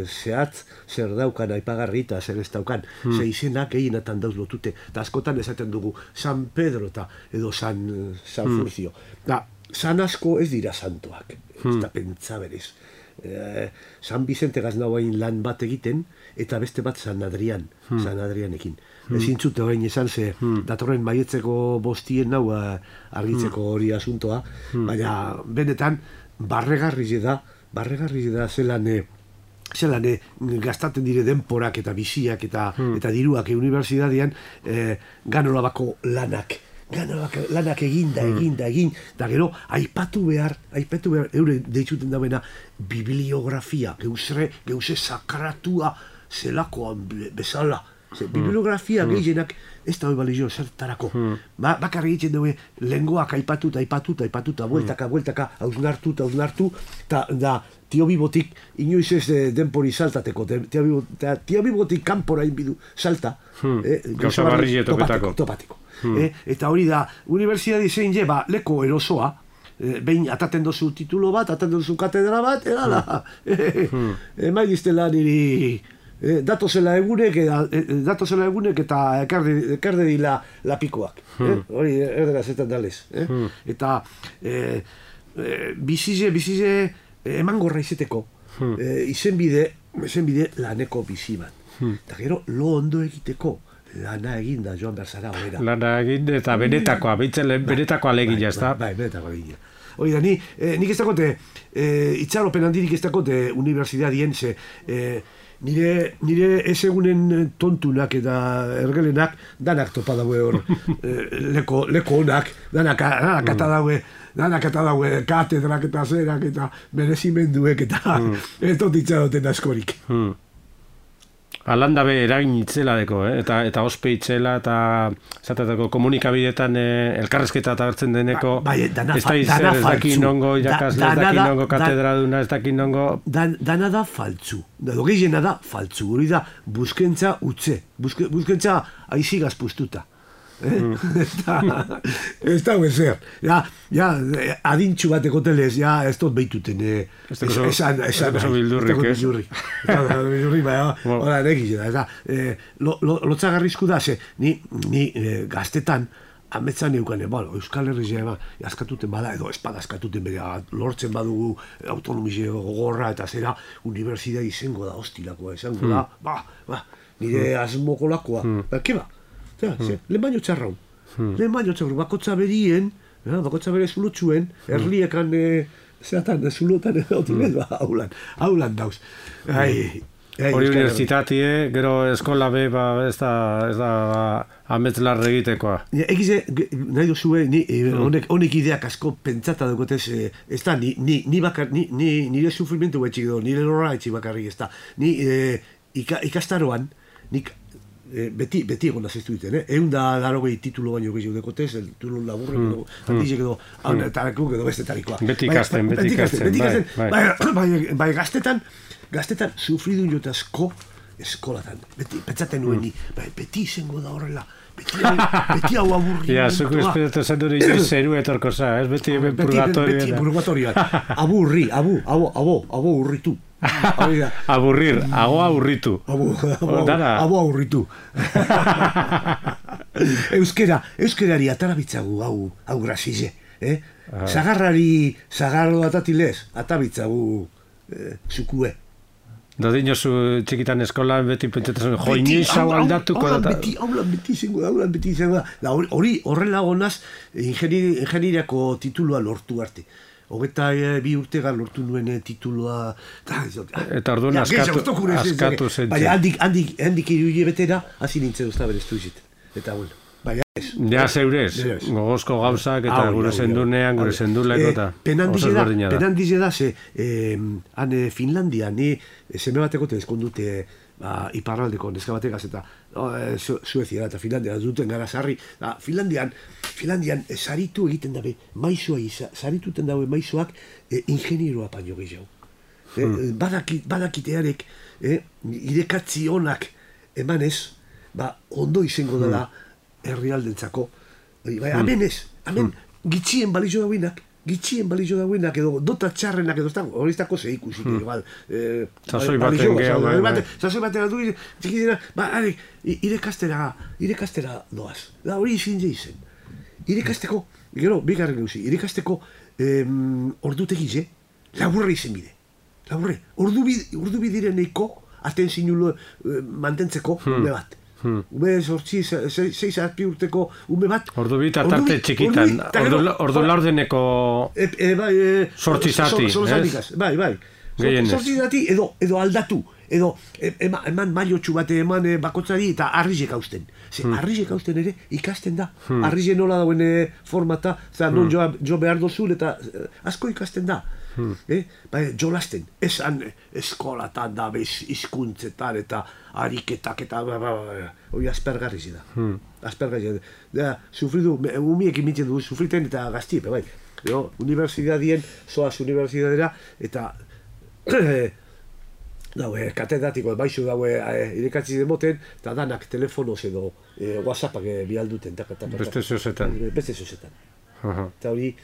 zehatz zer daukan aipagarri eta zer ez daukan. Ze izenak gehienatan dauz lotute. Eta askotan esaten dugu San Pedro edo San Furcio. San asko ez dira santoak. Ez da pentsa berez. San Vicente gaznagoain lan bat egiten, eta beste bat San Adrianekin. Ezin zute horrein esan ze datorren maietzeko bostien nau argitzeko hori asuntoa, baina benetan barregarri da zelan gastaten dire denporak eta biziak eta diruak unibertsitatean ganolabako lanak egin, da gero aipatu behar eure deitzuten dauena bibliografia, geuse sakratua zelakoan bezala. Bibliografia gehienak ez da hori balizio zertarako. Bakarri egiten dugu lengoak aipatuta, bueltaka, hausnartu, eta Tio Bibotik inoiz ez denpori saltateko, Tio Bibotik kanpora inbidu salta. Gauza barri topateko. Eta hori da, unibertsitate zein leko erosoa, behin ataten dozu titulo bat, ataten dozu katedra bat, edala. Maigiztela niri... Datozela egunek eta ekarde dila lapikoak. Hori erderaz eta dalez. Eta bizize emangorra izeteko izenbide laneko bizi bat. Eta gero lo ondo egiteko lana egin da joan behar zara horera. Lana egin eta benetakoa, benetakoa legin jazta. Bai, benetakoa legin. Hori da, nik ez dakote, itxaropen handirik ez dakote unibertsitatean, ze nire ez egunen tontunak eta ergelenak danak topa daue hor leko honak, danak ata daue katedrak eta zerak eta merezimenduek eta ez dut itxaroten askorik. Alanda be eragin itzela deko, eta ospe itzela, eta zatateko komunikabidetan elkarrezketa eta bertzen deneko, ez daki nongo irakasle, ez daki nongo katedraduna, ez daki nongo... Dana da faltzu, gehiena da faltzu, hori da buskentza utze, buskentza aizigaz puztuta. Ez da huezer. Adintxu bateko telez, ez dut behituten. Esan bildurrik, ez? Bildurrik, hori negizena. Lotzagarrizku da, ni gaztetan, ametzan euken, Euskal Herria askatuten bada, edo espada askatuten bera, lortzen badugu autonomizio gogorra eta zera, unibertsitate izango da hostilakoa, izango da, nire asmokolakoa, keba? Lehen baino txarraun. Bakotza berien, bakotza bere zulutxuen, erliekan zeatan, zulutan haulan dauz. Hori unibertsitatie, gero eskola be, ez da ametzlar egitekoa. Egize, nahi duzue, honek ideak asko pentsata dukotez, ez da, nire sufrimentu betxik edo, nire lorra etxik bakarrik, ez da. Ni ikastaroan, nik beti egon azestu diten, eunda darogei titulo baino gehiago dekotez, el titulo laburrek edo, handizek edo, tarakuk edo bestetarikoa. Beti ikasten. Bai, gaztetan sufridu jotazko eskolatan. Beti, pentsaten nuen ni, beti izango da horrela, beti hau aburri. Ja, zuko espedatu zen dure zeru etorko za, ez beti purgatorioan. Aburri, abo urritu. Aburrir, ago aburritu. Abo aburritu. Euskerari atarabitzagu hau grasize. Zagarro atatilez, atabitzagu zukue. Dodino zu txikitan eskolan beti pentsatzen joiniz hau aldatuko da. Haulan beti izango da. Hori horrela gonaz ingenieriako titulua lortu arte. 22 urtegan lortu nuen titulua. Eta orduan askatu zen. Baina handik iruile betera, hasi nintzen duzta bereztu izit. Eta bueno. Ja zeurez, gogozko gauzak eta gure zendunean, gure zenduleko eta oso ezberdina da. Penan dize da, han Finlandia, ni seme bateko tezkondute iparraldeko neska bategaz eta Suezia eta Finlandia duten gara sarri. Finlandian saritu egiten dabe, sarituten dabe maizuak ingenieroa paino gehiago. Badakitearek, irekatzi honak emanez, ondo izango dela herrialdentzako. Hemen gitxien balizo dauenak, edo dota txarrenak edo hori ez dako zeikuzik. Sasoi baten gehiago. Sasoi baten adu, txikizena, irekastera doaz. Hori izin izen. Irekasteko, gero, bigarren gauzi, irekasteko ordutegize, laburre izen bide. Laburre, ordu bidiren eiko, azten zinulo mantentzeko ume bat. Ume sortzi, 6-7 urteko ume bat. Ordu bit atarte txikitan, ordu laurdeneko sortzi zati. Bai. Sortzi zati edo aldatu, edo eman mailotxu bat eman bakotzari eta arrizek hausten. Arrizek hausten ere ikasten da. Arrizek nola dauen formata, non jo behar dozun eta asko ikasten da. Jolasten, esan eskolatan da, hizkuntzetan eta ariketak eta hori aspergarri da. Aspergarri da. Sufridu, umiek imitzen du, sufriten eta gaztiepe, bai. Universidadien, zoaz universidadera, eta katedatiko, baizu daue irekatzi demoten, eta danak telefonoz edo whatsappak bialduten. Beste zozetan. Eta hori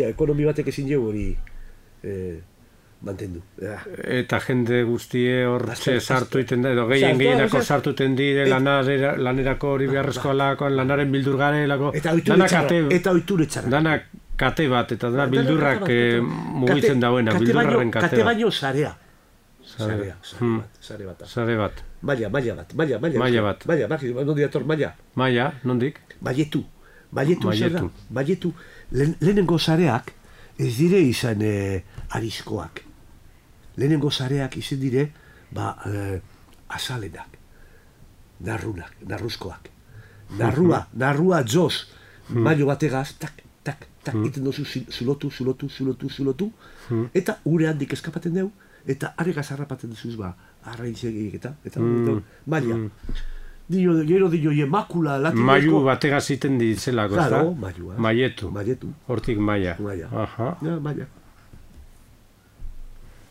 ekonomi batek ezin jau hori mantendu. Eta jende guztie hor sartu iten da, edo gehienako sartu iten dire lanerako hori beharrezkoa lakoan, lanaren bildurgare lako. Eta oiture txarra. Danak kate bat, eta dana bildurrak mugitzen dauena, bildurraren kate bat. Kate baino zarea. Zare bat. Maia bat. Nondik ator, maia? Nondik? Baietu. Lehenengo zareak ez dire izan arizkoak. Lehenengo zareak izan dire azalenak, narruzkoak. Narrua joz, mailo bategaz, tak, iten dozu zulotu, eta ure handik eskapaten deu, eta aregaz harrapaten duzuz arraintzegik eta maila. Gero dio makula latinezko. Maiu bategaz iten ditzelako, ez da? Claro, Maietu. Hortik maia. Maia.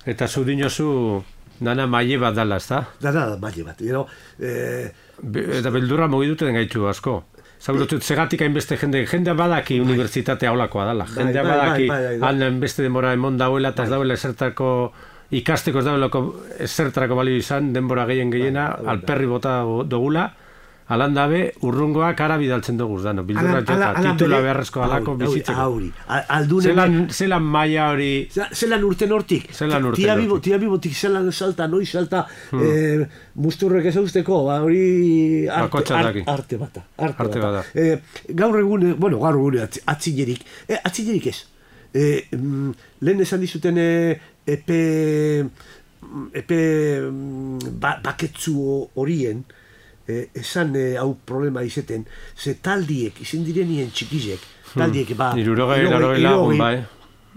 Eta zu dinozu dana maie bat dala, ez da? Dana maie bat. Eta beldurra mogiduten gaitu asko. Zaurotut, segatik hainbeste jende badaki unibertsitatea holakoa dala. Jendea badaki hainbeste denbora emon dauela eta ez dauela esertako ikasteko ez dauelako ezertarako balio izan, denbora gehiena, alperri bota dugula, alan dabe, urrungoak ara bidaltzen dugu, bildurra jota, titula beharrezko alako bizitzeko. Zelan maia hori... Zelan urten hortik. Tia bibotik zelan salta, noiz salta, musturrek ez hauzteko, hori arte bata. Gaur egun atzinerik ez. Lehen esan dizuten epe baketzu horien, esan hau problema izeten, ze taldiek, izen direnien txikizek, taldiek, irurogei lagun, bai.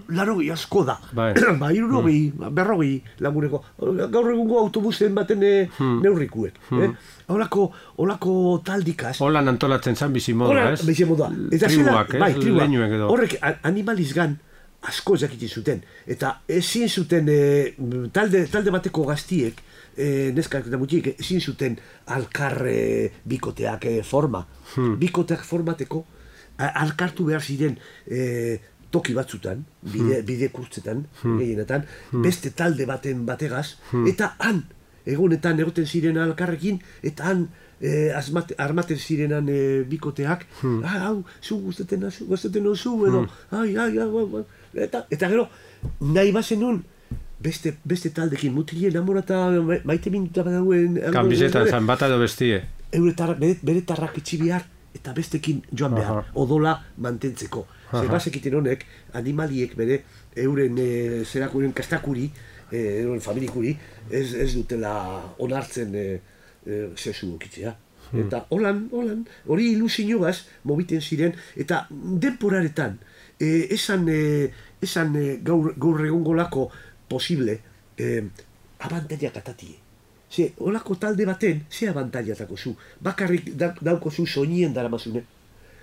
Larogei asko da. Bai. Irurogei, berrogei laguneko. Gaur egungo autobusen baten neurrikuek. Olako taldikaz. Holan antolatzen zan bizimodua, ez? Bizimodua. Tribuak, ez? Leinuek edo. Horrek animalizgan asko jakiten zuten. Eta ezin zuten talde bateko gaztiek, neskak eta mutiek, ezin zuten alkar bikoteak forma. Bikoteak formateko alkartu behar ziren toki batzutan, bide kurtzetan, gehienetan, beste talde bategaz, eta han, egunetan egoten ziren alkarrekin, eta han armaten zirenan bikoteak, hau, zu guzteten osu, edo, eta gero, nahi bazen nun, beste taldekin, mutilien amorata maite minuta badauen... Kanbizetan zan bat edo bestie. Bere tarrak itxi behar, eta bestekin joan behar, odola mantentzeko. Zebazekiten honek, animaliek bere, euren zerakuren kastakuri, euren familikuri, ez dutela onartzen sesu okitzea. Eta holan, hori ilusinogaz mobiten ziren, eta denporaretan, esan gaur egongolako posible, abantaiak atatie. Ze, holako talde baten, ze abantaiatako zu. Bakarrik dauko zu soinien daramazune.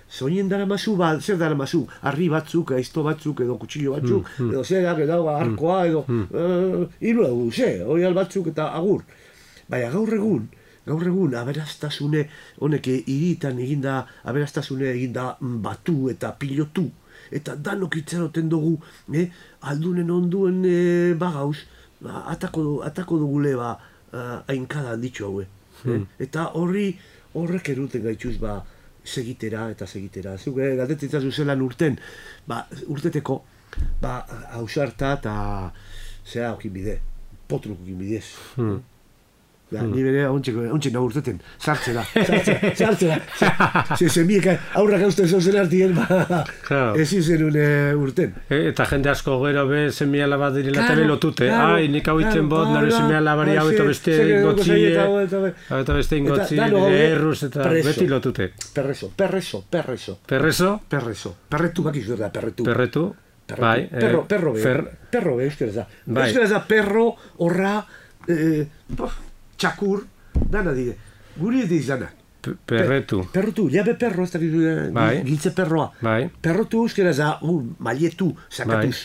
Soinien daramazu, zer daramazu? Arri batzuk, aizto batzuk, edo kutsillo batzuk, edo zerak, edo arkoa, edo... Hiru dugu, oial batzuk eta agur. Baina gaur egun, aberastasune, honek hiritan eginda, aberastasune eginda batu eta pilotu, eta danok itxaroten dugu, aldunen onduen bagauz, atako dugule hainkada handitxo haue. Eta horrek eruten gaitxuz segitera. Zuk galdetzen zelan urten, urteteko, hausarta eta zera okin bide, potruk okin bidez. Ni bere ontsen nago urteten, sartzera. Zemiek aurrak hausten zauzen artien, ezin zenun urten. Eta jende asko gero be semiala bat direla eta lotute. Ai, nik hau itzen bot, nire semiala bari hau eta beste ingotzie, eta beste ingotzie, erruz eta beti lotute. Perreso. Perreso? Perretu bakizu da, perretu. Perretu? Bai. Perro be, euskera da. Euskera da, perro, horra, txakur, dana dire. Guri ez dizanak. Perretu. Perrotu, jabe perro, ez da giltze perroa. Perrotu euskera za, maietu, sakatuz.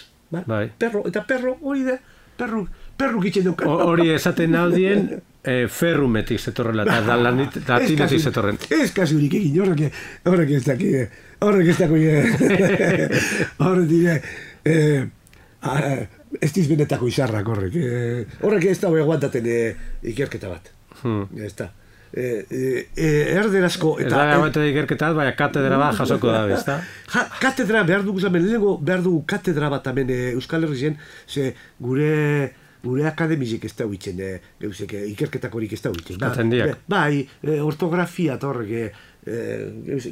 Perro, eta perro, hori da, perru gitzen dukan. Hori esaten aldien, ferrumetik zetorrela, eta latinetik zetorren. Ez kasurik egin, horrek ez daki, horrek dire, ez dizbenetako izarrak horrek. Horrek ez da aguantaten ikerketa bat. Ez da. Erderazko... Ez da aguantaten ikerketa bat, baina katedra bat jasoko da, ez da? Katedra behar dugu zamen, lehenengo behar dugu katedra bat hemen Euskal Herrien, ze gure akademizek ez da huitzen, ikerketakorik ez da huitzen. Katzendiak. Bai, ortografia eta horrek,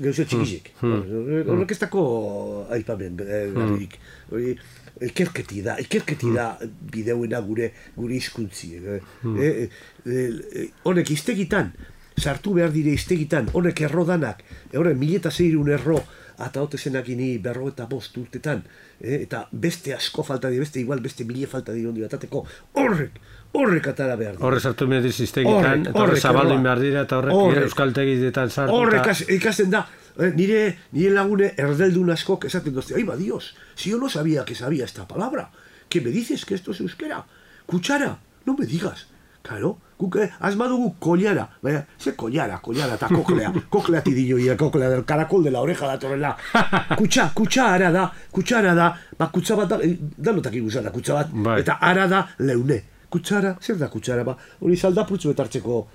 gauze txikizek. Horrek ez dako aipamen, garrik. Ikerketi da bideuena gure hizkuntzi. Honek iztegitan, sartu behar dire iztegitan, honek errodanak, horrek 1600 erro, eta hote zenakini 55 urtetan, eta beste asko falta dira, beste 1000 falta dira ondi batateko, horrek atara behar dira. Horre sartu behar dira iztegitan, eta horre zabaldin behar dira, eta horrek euskaltegietan sartu. Horrek ikasten da, nire lagune erdeldun askok esaten dozte, ay, Dios, si yo no sabía que sabía esta palabra, ¿qué me dices que esto es euskera? Kutsara, no me digas. Claro, asmadugu kollara, ze kollara, eta koklea tidillo, y el koklea del caracol de la oreja da torrela. Kutsara da, kutsa bat da notak igusan da, kutsa bat, eta ara da leune. Kutsara, zer da kutsara, hori zaldapurtzu betartzeko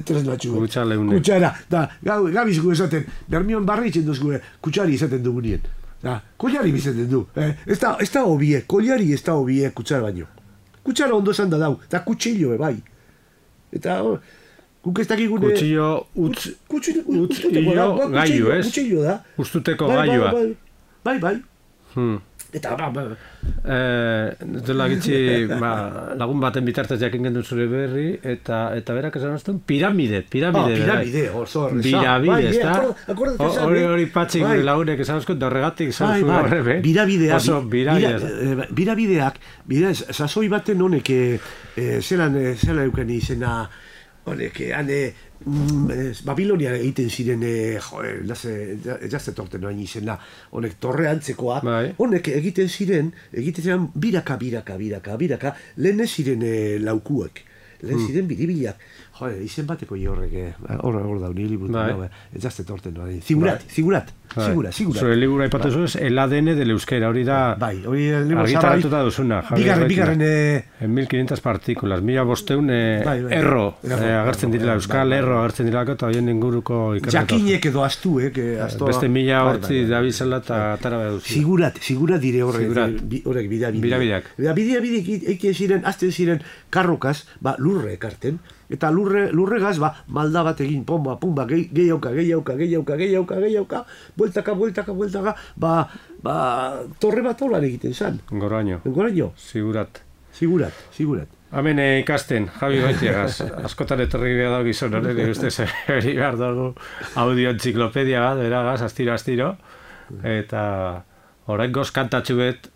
tresnatxu. Kutsara, da, gabiz gu esaten, bermion barri itzen duz gu, kutsari esaten dugunien. Kollari bizaten du, ez da hobie, kollari ez da hobie kutsara baino. Kutsara ondo esan da dau, eta kutsillo bai. Eta, guk ez dakigune... Kutsillo, gaiu, ez? Kutsillo da. Ustuteko gaiua. Bai. Eta, Dela gitzi, lagun baten bitartez jakin gendu zure berri, eta berak esan azten, piramide. Piramide, oso horreza. Piramide, ez da? Hori patxik lagunek esan azkut, da horregatik esan zuen horrebe. Birabideak, sasoi baten honek, zelan euken izena, honek, Babilonia egiten ziren, jazte torten noain izena, honek torre antzekoak, honek egiten ziren biraka, lehen ez ziren laukuek, lehen ziren biribilak. Izen bateko horrek, hor da, niri butu, jazte torten noain. Zigurat. Zure libura ipatu zuz, el ADN del euskera, hori da argitaratuta duzuna. Bigarren... En 1500 partikulas, 1500 erro, agertzen direla, euskal erro agertzen direlako, eta horien inguruko ikerretu. Jakinek edo astu, beste 1000 hortzi dabizela eta atara behar duzu. Sigurat dire horrek birabideak. Birabideak eiken ziren, azten ziren karrokaz, lurre ekarten, eta lurregaz, malda bat egin, pumba, gehiauka, bueltaka, torre bat holan egiten zan. Goraino. Sigurat. Hemen ikasten, Javi Goitiagaz, askotan etorri behar dago gizon horren, ustez hori behar dago audio entziklopedia bat, beragaz, astiro, eta orain goz kantatxu bet,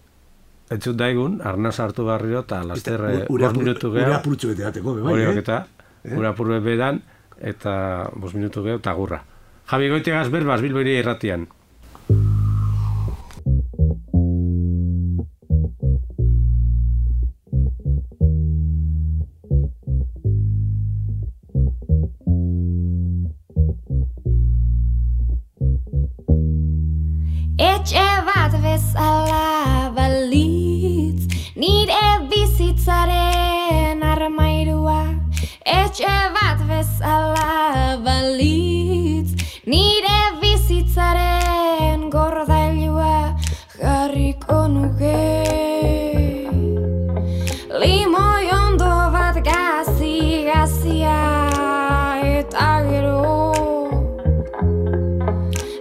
entzut daigun, arnaz hartu barriro, eta laster 5 minutu geho. Ura apurtxu bete dateko, Horiok eta, ura apurtu bedan, eta 5 minutu geho, eta gurra. Javi Goitiagaz berbaz, Bilboiri irratian. Etxe bat bezala balitz, nire bizitzaren armairua. Etxe bat bezala balitz, nire bizitzaren gordailua jarriko nuke. Limoi ondo bat gazia eta gero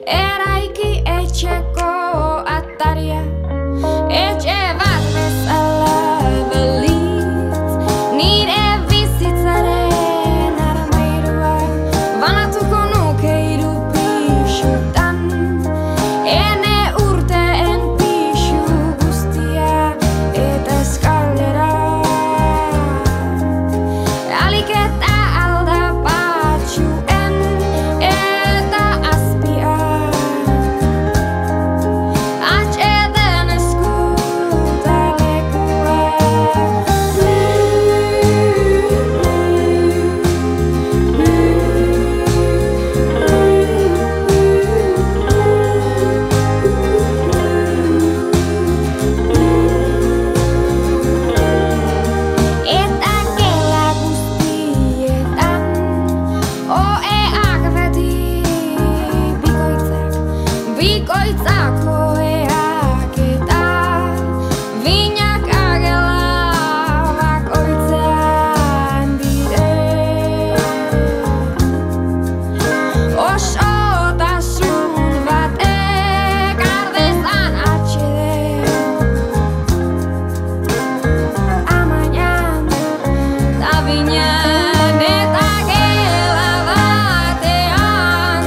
eraiki etxeko ataria. Etxe bat bezala balitz, nire bizitzaren armairua. Banatuko nuke 3 pixutan, ene urteen pixu guztia eta eskalera. Alik eta aldapatxuen eta azpia. Atxeden eskutalekua. Eta gela guztietan, oeak beti bikoitzak oeak eta binak agela bakoitzean dire. Osotasun batek ardezan atxeden, amainan da binan eta gela batean,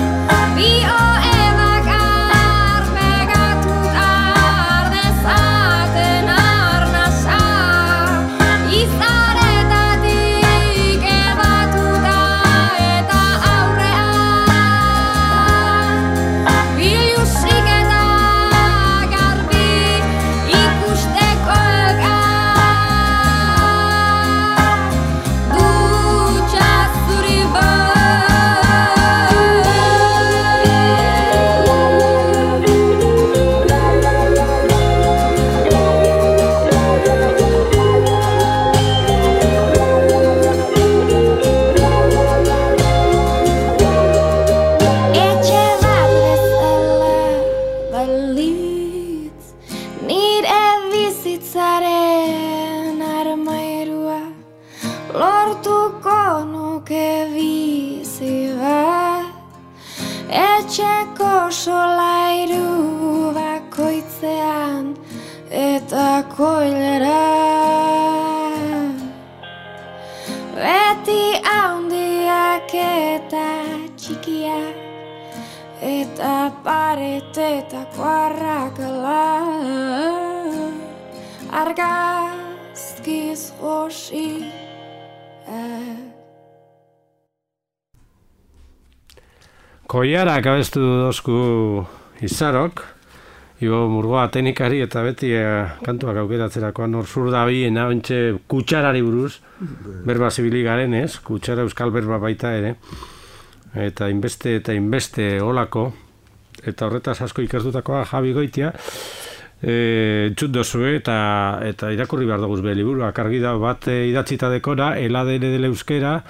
bi oe bakar pegatuta ardezaten arnasa, izaretatik ebatuta eta aurrean, bilusik eta garbi ikusteko elkar, dutxa zuri Etxe bat bezala balitz, nire bizitzaren armairua. Lortuko nuke bizi bat, etxeko solairu bakoitzean eta koilera. Beti handiak eta txikiak, eta paretetako arrakala, argazkiz josiak. Koiarak abestu dozku Izarok, Ibo Murgoa teknikari eta beti kantuak aukeratzerakoan hor zur da biena, ontxe kutsarari buruz, berba zibili garen ez, kutsara euskal berba baita ere, eta inbeste olako, eta horretaz asko ikertutakoa Javi Goitia, entzut dozue eta irakurri behar duguz be liburuak argi da bat idatzita dekora, el ADN del euskera,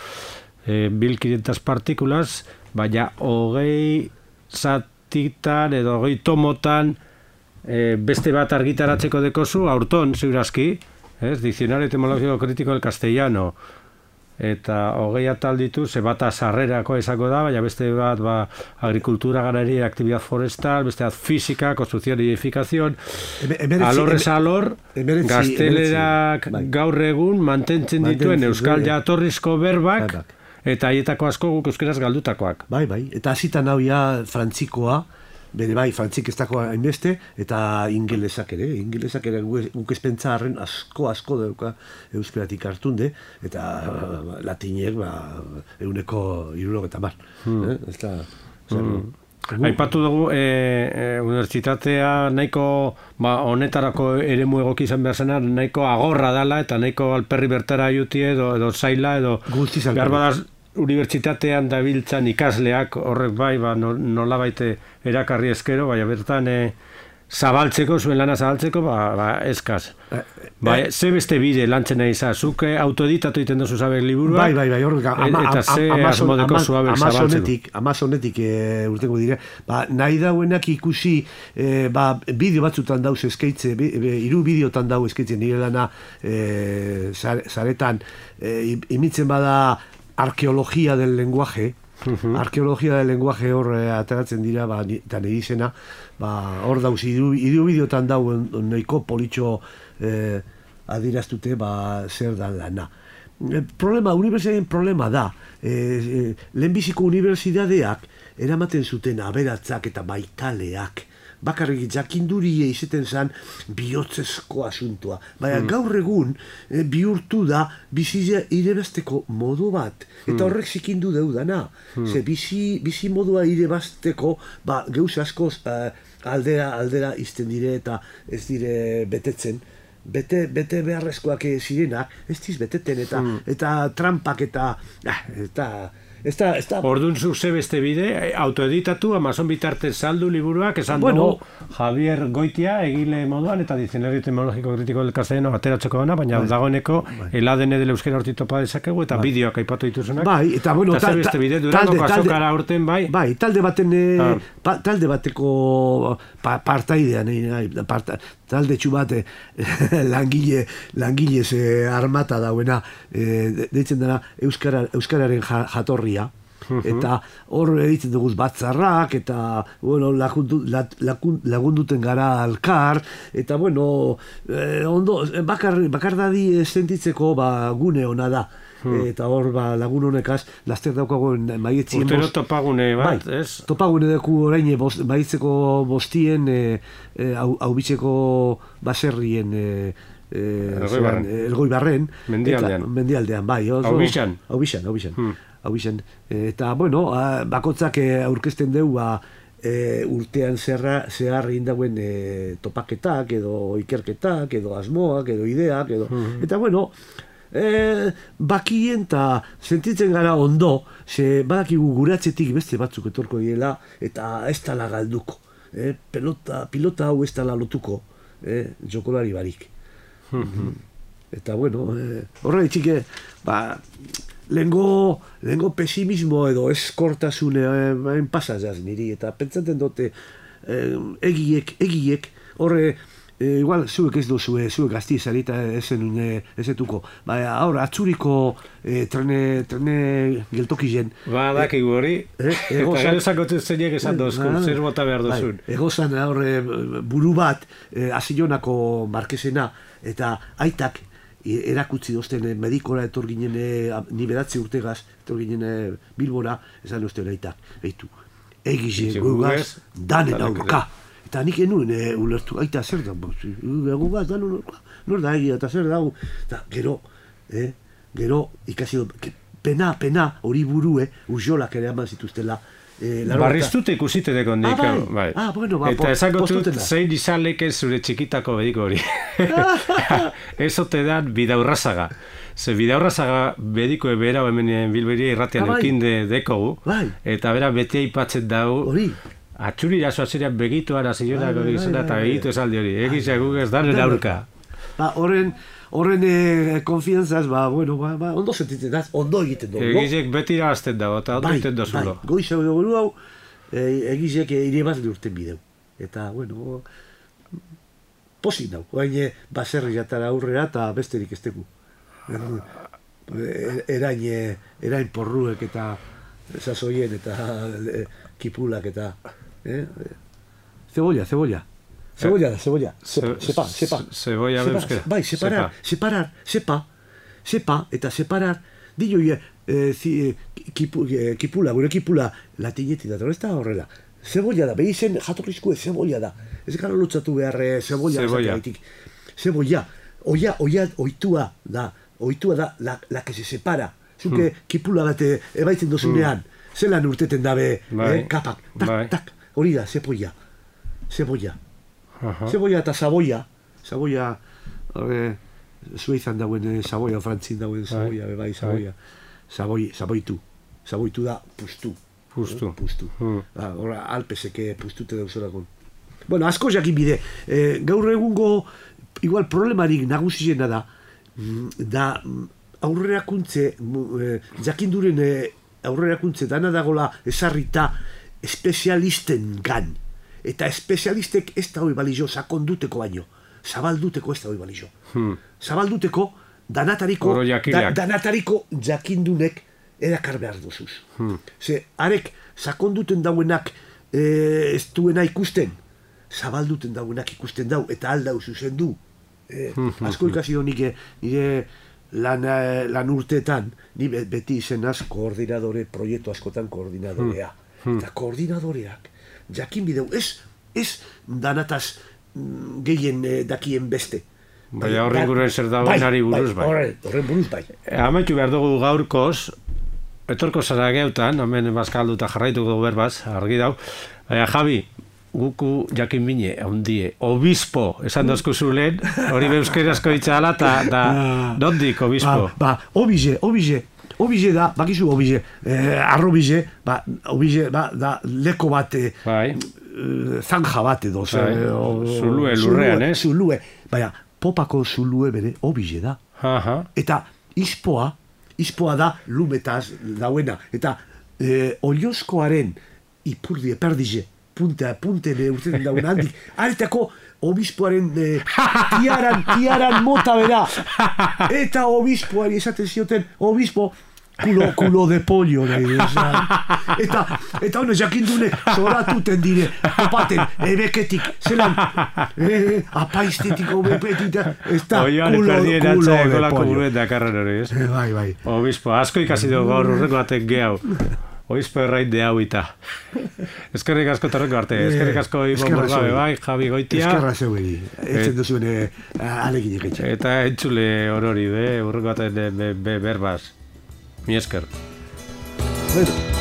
1500 partikulas, baina 20 zatitan edo 20 tomotan beste bat argitaratzeko dekozu, aurton, ziurazki, Diccionario etimológico crítico del castellano, eta 20 atal ditu, ze bata sarrerako esako da, baina beste bat agricultura, ganadería, actividad forestal, beste bat física, construcción y edificación, alorrez alor, gaztelerak gaur egun mantentzen dituen euskal jatorrizko berbak, eta haietako asko guk euskeraz galdutakoak. Bai, eta hasitan hau ja frantzikoa, bere bai, frantzik ez dakoa hainbeste, eta ingelesak ere guk ezpentsa harren asko dauka euskeratik hartunde, eta latinek 160. Ez da... Aipatu dugu, unibertsitatea nahiko, honetarako eremu egoki izan behar zena, nahiko agorra dala, eta nahiko alperri bertara jutie, edo zaila, edo... Behar badaz, unibertsitatean dabiltzan ikasleak, horrek bai, nola baite erakarri eskero, baina bertan zabaltzeko, zuen lana zabaltzeko, eskaz. Ze beste bide lantzen nahi za, zuk autoeditatu iten dozu zabek liburua, eta ze asmodeko zuabek zabaltzeko. Amazonetik urtengo dire, nahi dauenak ikusi, bideo batzutan dauz eskaitze, 3 bideotan dau eskaitze nire lana zaretan, imitzen bada arkeologia del lenguaje, arkeologia del lenguaje hor ateratzen dira, eta nire izena, hor dauz, 3 bideotan dau nahiko politxo adiraztute zer da lana. Unibertsitatearen problema da, lehenbiziko unibertsitateak eramaten zuten aberatzak eta baitaleak, bakarrik jakindurie izaten zen bihotzezko asuntua. Baina gaur egun bihurtu da bizia irebasteko modu bat. Eta horrek zikindu deudana. Ze bizi modua irebasteko geuz askoz aldera izten dire eta ez dire betetzen. Bete beharrezkoak zirenak, ez diz beteten eta trampak eta Orduan zuk ze beste bide, autoeditatu, Amazon bitartez saldu liburuak, esan dugu Javier Goitia egile moduan, eta Diccionario etimológico crítico del castellano ateratzeko dana, baina dagoeneko el ADN del euskera hortik topa dezakegu, eta bideoak aipatu dituzunak. Bai, eta bueno, ze beste bide, Durangoko azokara urten, bai? Bai, talde bateko partaidean, talde txubate langile armata dauena, deitzen dena euskararen jatorria, eta hor egiten dugu batzarrak, eta lagunduten gara alkar, eta ondo, bakardadi sentitzeko gune ona da. Eta hor lagun honekaz laster daukagoen maietzien urtero topagune bat, ez? Topagune deku orain maietzeko bostien haubitzeko baserrien Elgoibarren mendialdean, bai. Haubixan. Eta, bakotzak aurkezten deu urtean zehar egin dauen topaketak, edo ikerketak, edo asmoak, edo ideak, eta, bakien eta sentitzen gara ondo, ze badakigu guratzetik beste batzuk etorko direla, eta ez tala galduko. Pilota hau ez tala lotuko, jokolari barik. Eta, horre txike, lehengo pesimismo edo eskortasune pasazaz niri, eta pentsaten dute egiek, horre igual zuek ez duzue, zuek gazti zarita ezetuko. Baina, ahora, atzuriko trene geltokien. Dakigu hori. Eta gero zakotu zeinek esan dozku, zer bota behar duzun. Egozan, buru bat, Azilonako markesena, eta aitak erakutzi dozten medikora etor ginen, ni beratzi urtegaz, etor ginen Bilbora, esan uste aitak, behitu. Egize gugaz, danen aurka. Eta nik enuen ulertu, aita zer da, gugaz, danen aurka, nor da egia, eta zer da, eta gero ikasi pena, hori burue, urjolak ere eman zituztela. Barriztute ikusite deko nik. Bueno, eta esakotut zein izan leke zure txikitako bediko hori. Ez ote dan Bidaurrazaga. Ze Bidaurrazaga bedikoe behera hemen Bilberia irratian eukinde dekogu. Eta bera beti aipatzen dago. Atxuri jasoa zerean begituan Azilonako gizena eta begitu esaldi hori. Egizia gugez danen aurka. Horren konfiantzaz, ondo sentitzen da, ondo egiten dugu. Egizek beti irabazten dago, eta ondo egiten dozulo. Goiza dugu hau, egizek ire bat urten bideu. Eta, pozik dago. Baina, baserri jatara aurrera eta besterik ez dugu. Erain porruek eta sasoien eta kipulak eta... Cebolla. Cebolla. Sepa. Cebolla euskera. Bai, separar. Eta separar. Dio, kipula, gure kipula, latineti da, ez da horrela. Cebolla da, behi zen jatorrizko cebolla da. Ez gara lutzatu behar cebolla. Cebolla. Oitua da, la que se separa. Zuke kipula bat ebaitzen dozunean, zelan urteten dabe, kapak, tak, hori da, cebolla. Cebolla eta saboia. Suizan dauen saboia, frantzin dauen saboia, bebai saboia. Saboitu da pustu. Hora, alpeseke pustute dauzorako. Bueno, asko jakin bide. Gaur egungo, igual problemarik nagusiena da aurrerakuntze, jakinduren aurrerakuntze dana dagola esarrita espezialisten gan. Eta espezialistek ez da hori balizo sakonduteko baino. Zabalduteko ez da hori balizo. Zabalduteko danatariko jakindunek erakar behar duzuz. Ze, arek sakonduten dauenak ez duena ikusten, zabalduten dauenak ikusten dau, eta aldau zuzen du. Asko ikasi do nire lan urteetan, ni beti izenaz koordinadore, proiektu askotan koordinadorea. Eta koordinadoreak, jakin bideu, ez danataz gehien dakien beste. Baina horren gure zer dagoenari buruz bai. Horren buruz bai. Amaitu behar dugu gaurkoz, etorko zara geutan, hemen bazkaldu eta jarraituko dugu berbaz, argi dau. Baina Javi, guku jakin bine, ondie, obispo, esan dozkuzu lehen, hori beuskerazko itxala, eta nondik obispo? Obize da, bakizu obize, arrobize, obize da leko bat, zanja bat edo. Zulue, lurrean, ez? Zulue, baina popako zulue bere obize da. Eta ispoa da lumetaz dauena. Eta oliozkoaren ipurdi eperdize, puntene urteten dauen handik, aretako obispoaren tiaran mota bera. Eta obispoari esaten zioten, obispo, culo de pollo. Eta hones jakindunek zoratuten dire, opaten, ebeketik, zelan, apaiztetiko bepetik, ez da culo de pollo. Bai. Obispo, asko ikasi dugu gaur urreko batek gehau. Obispo errain de hau eta. Eskerrik asko torreko arte. Eskerrik asko Ibon Burgabe bai, Javi Goitia. Eskerra zeueri. Etzen duzuen aleginek etxe. Eta entzule horori, urreko baten berbaz. Mi esker. Bueno.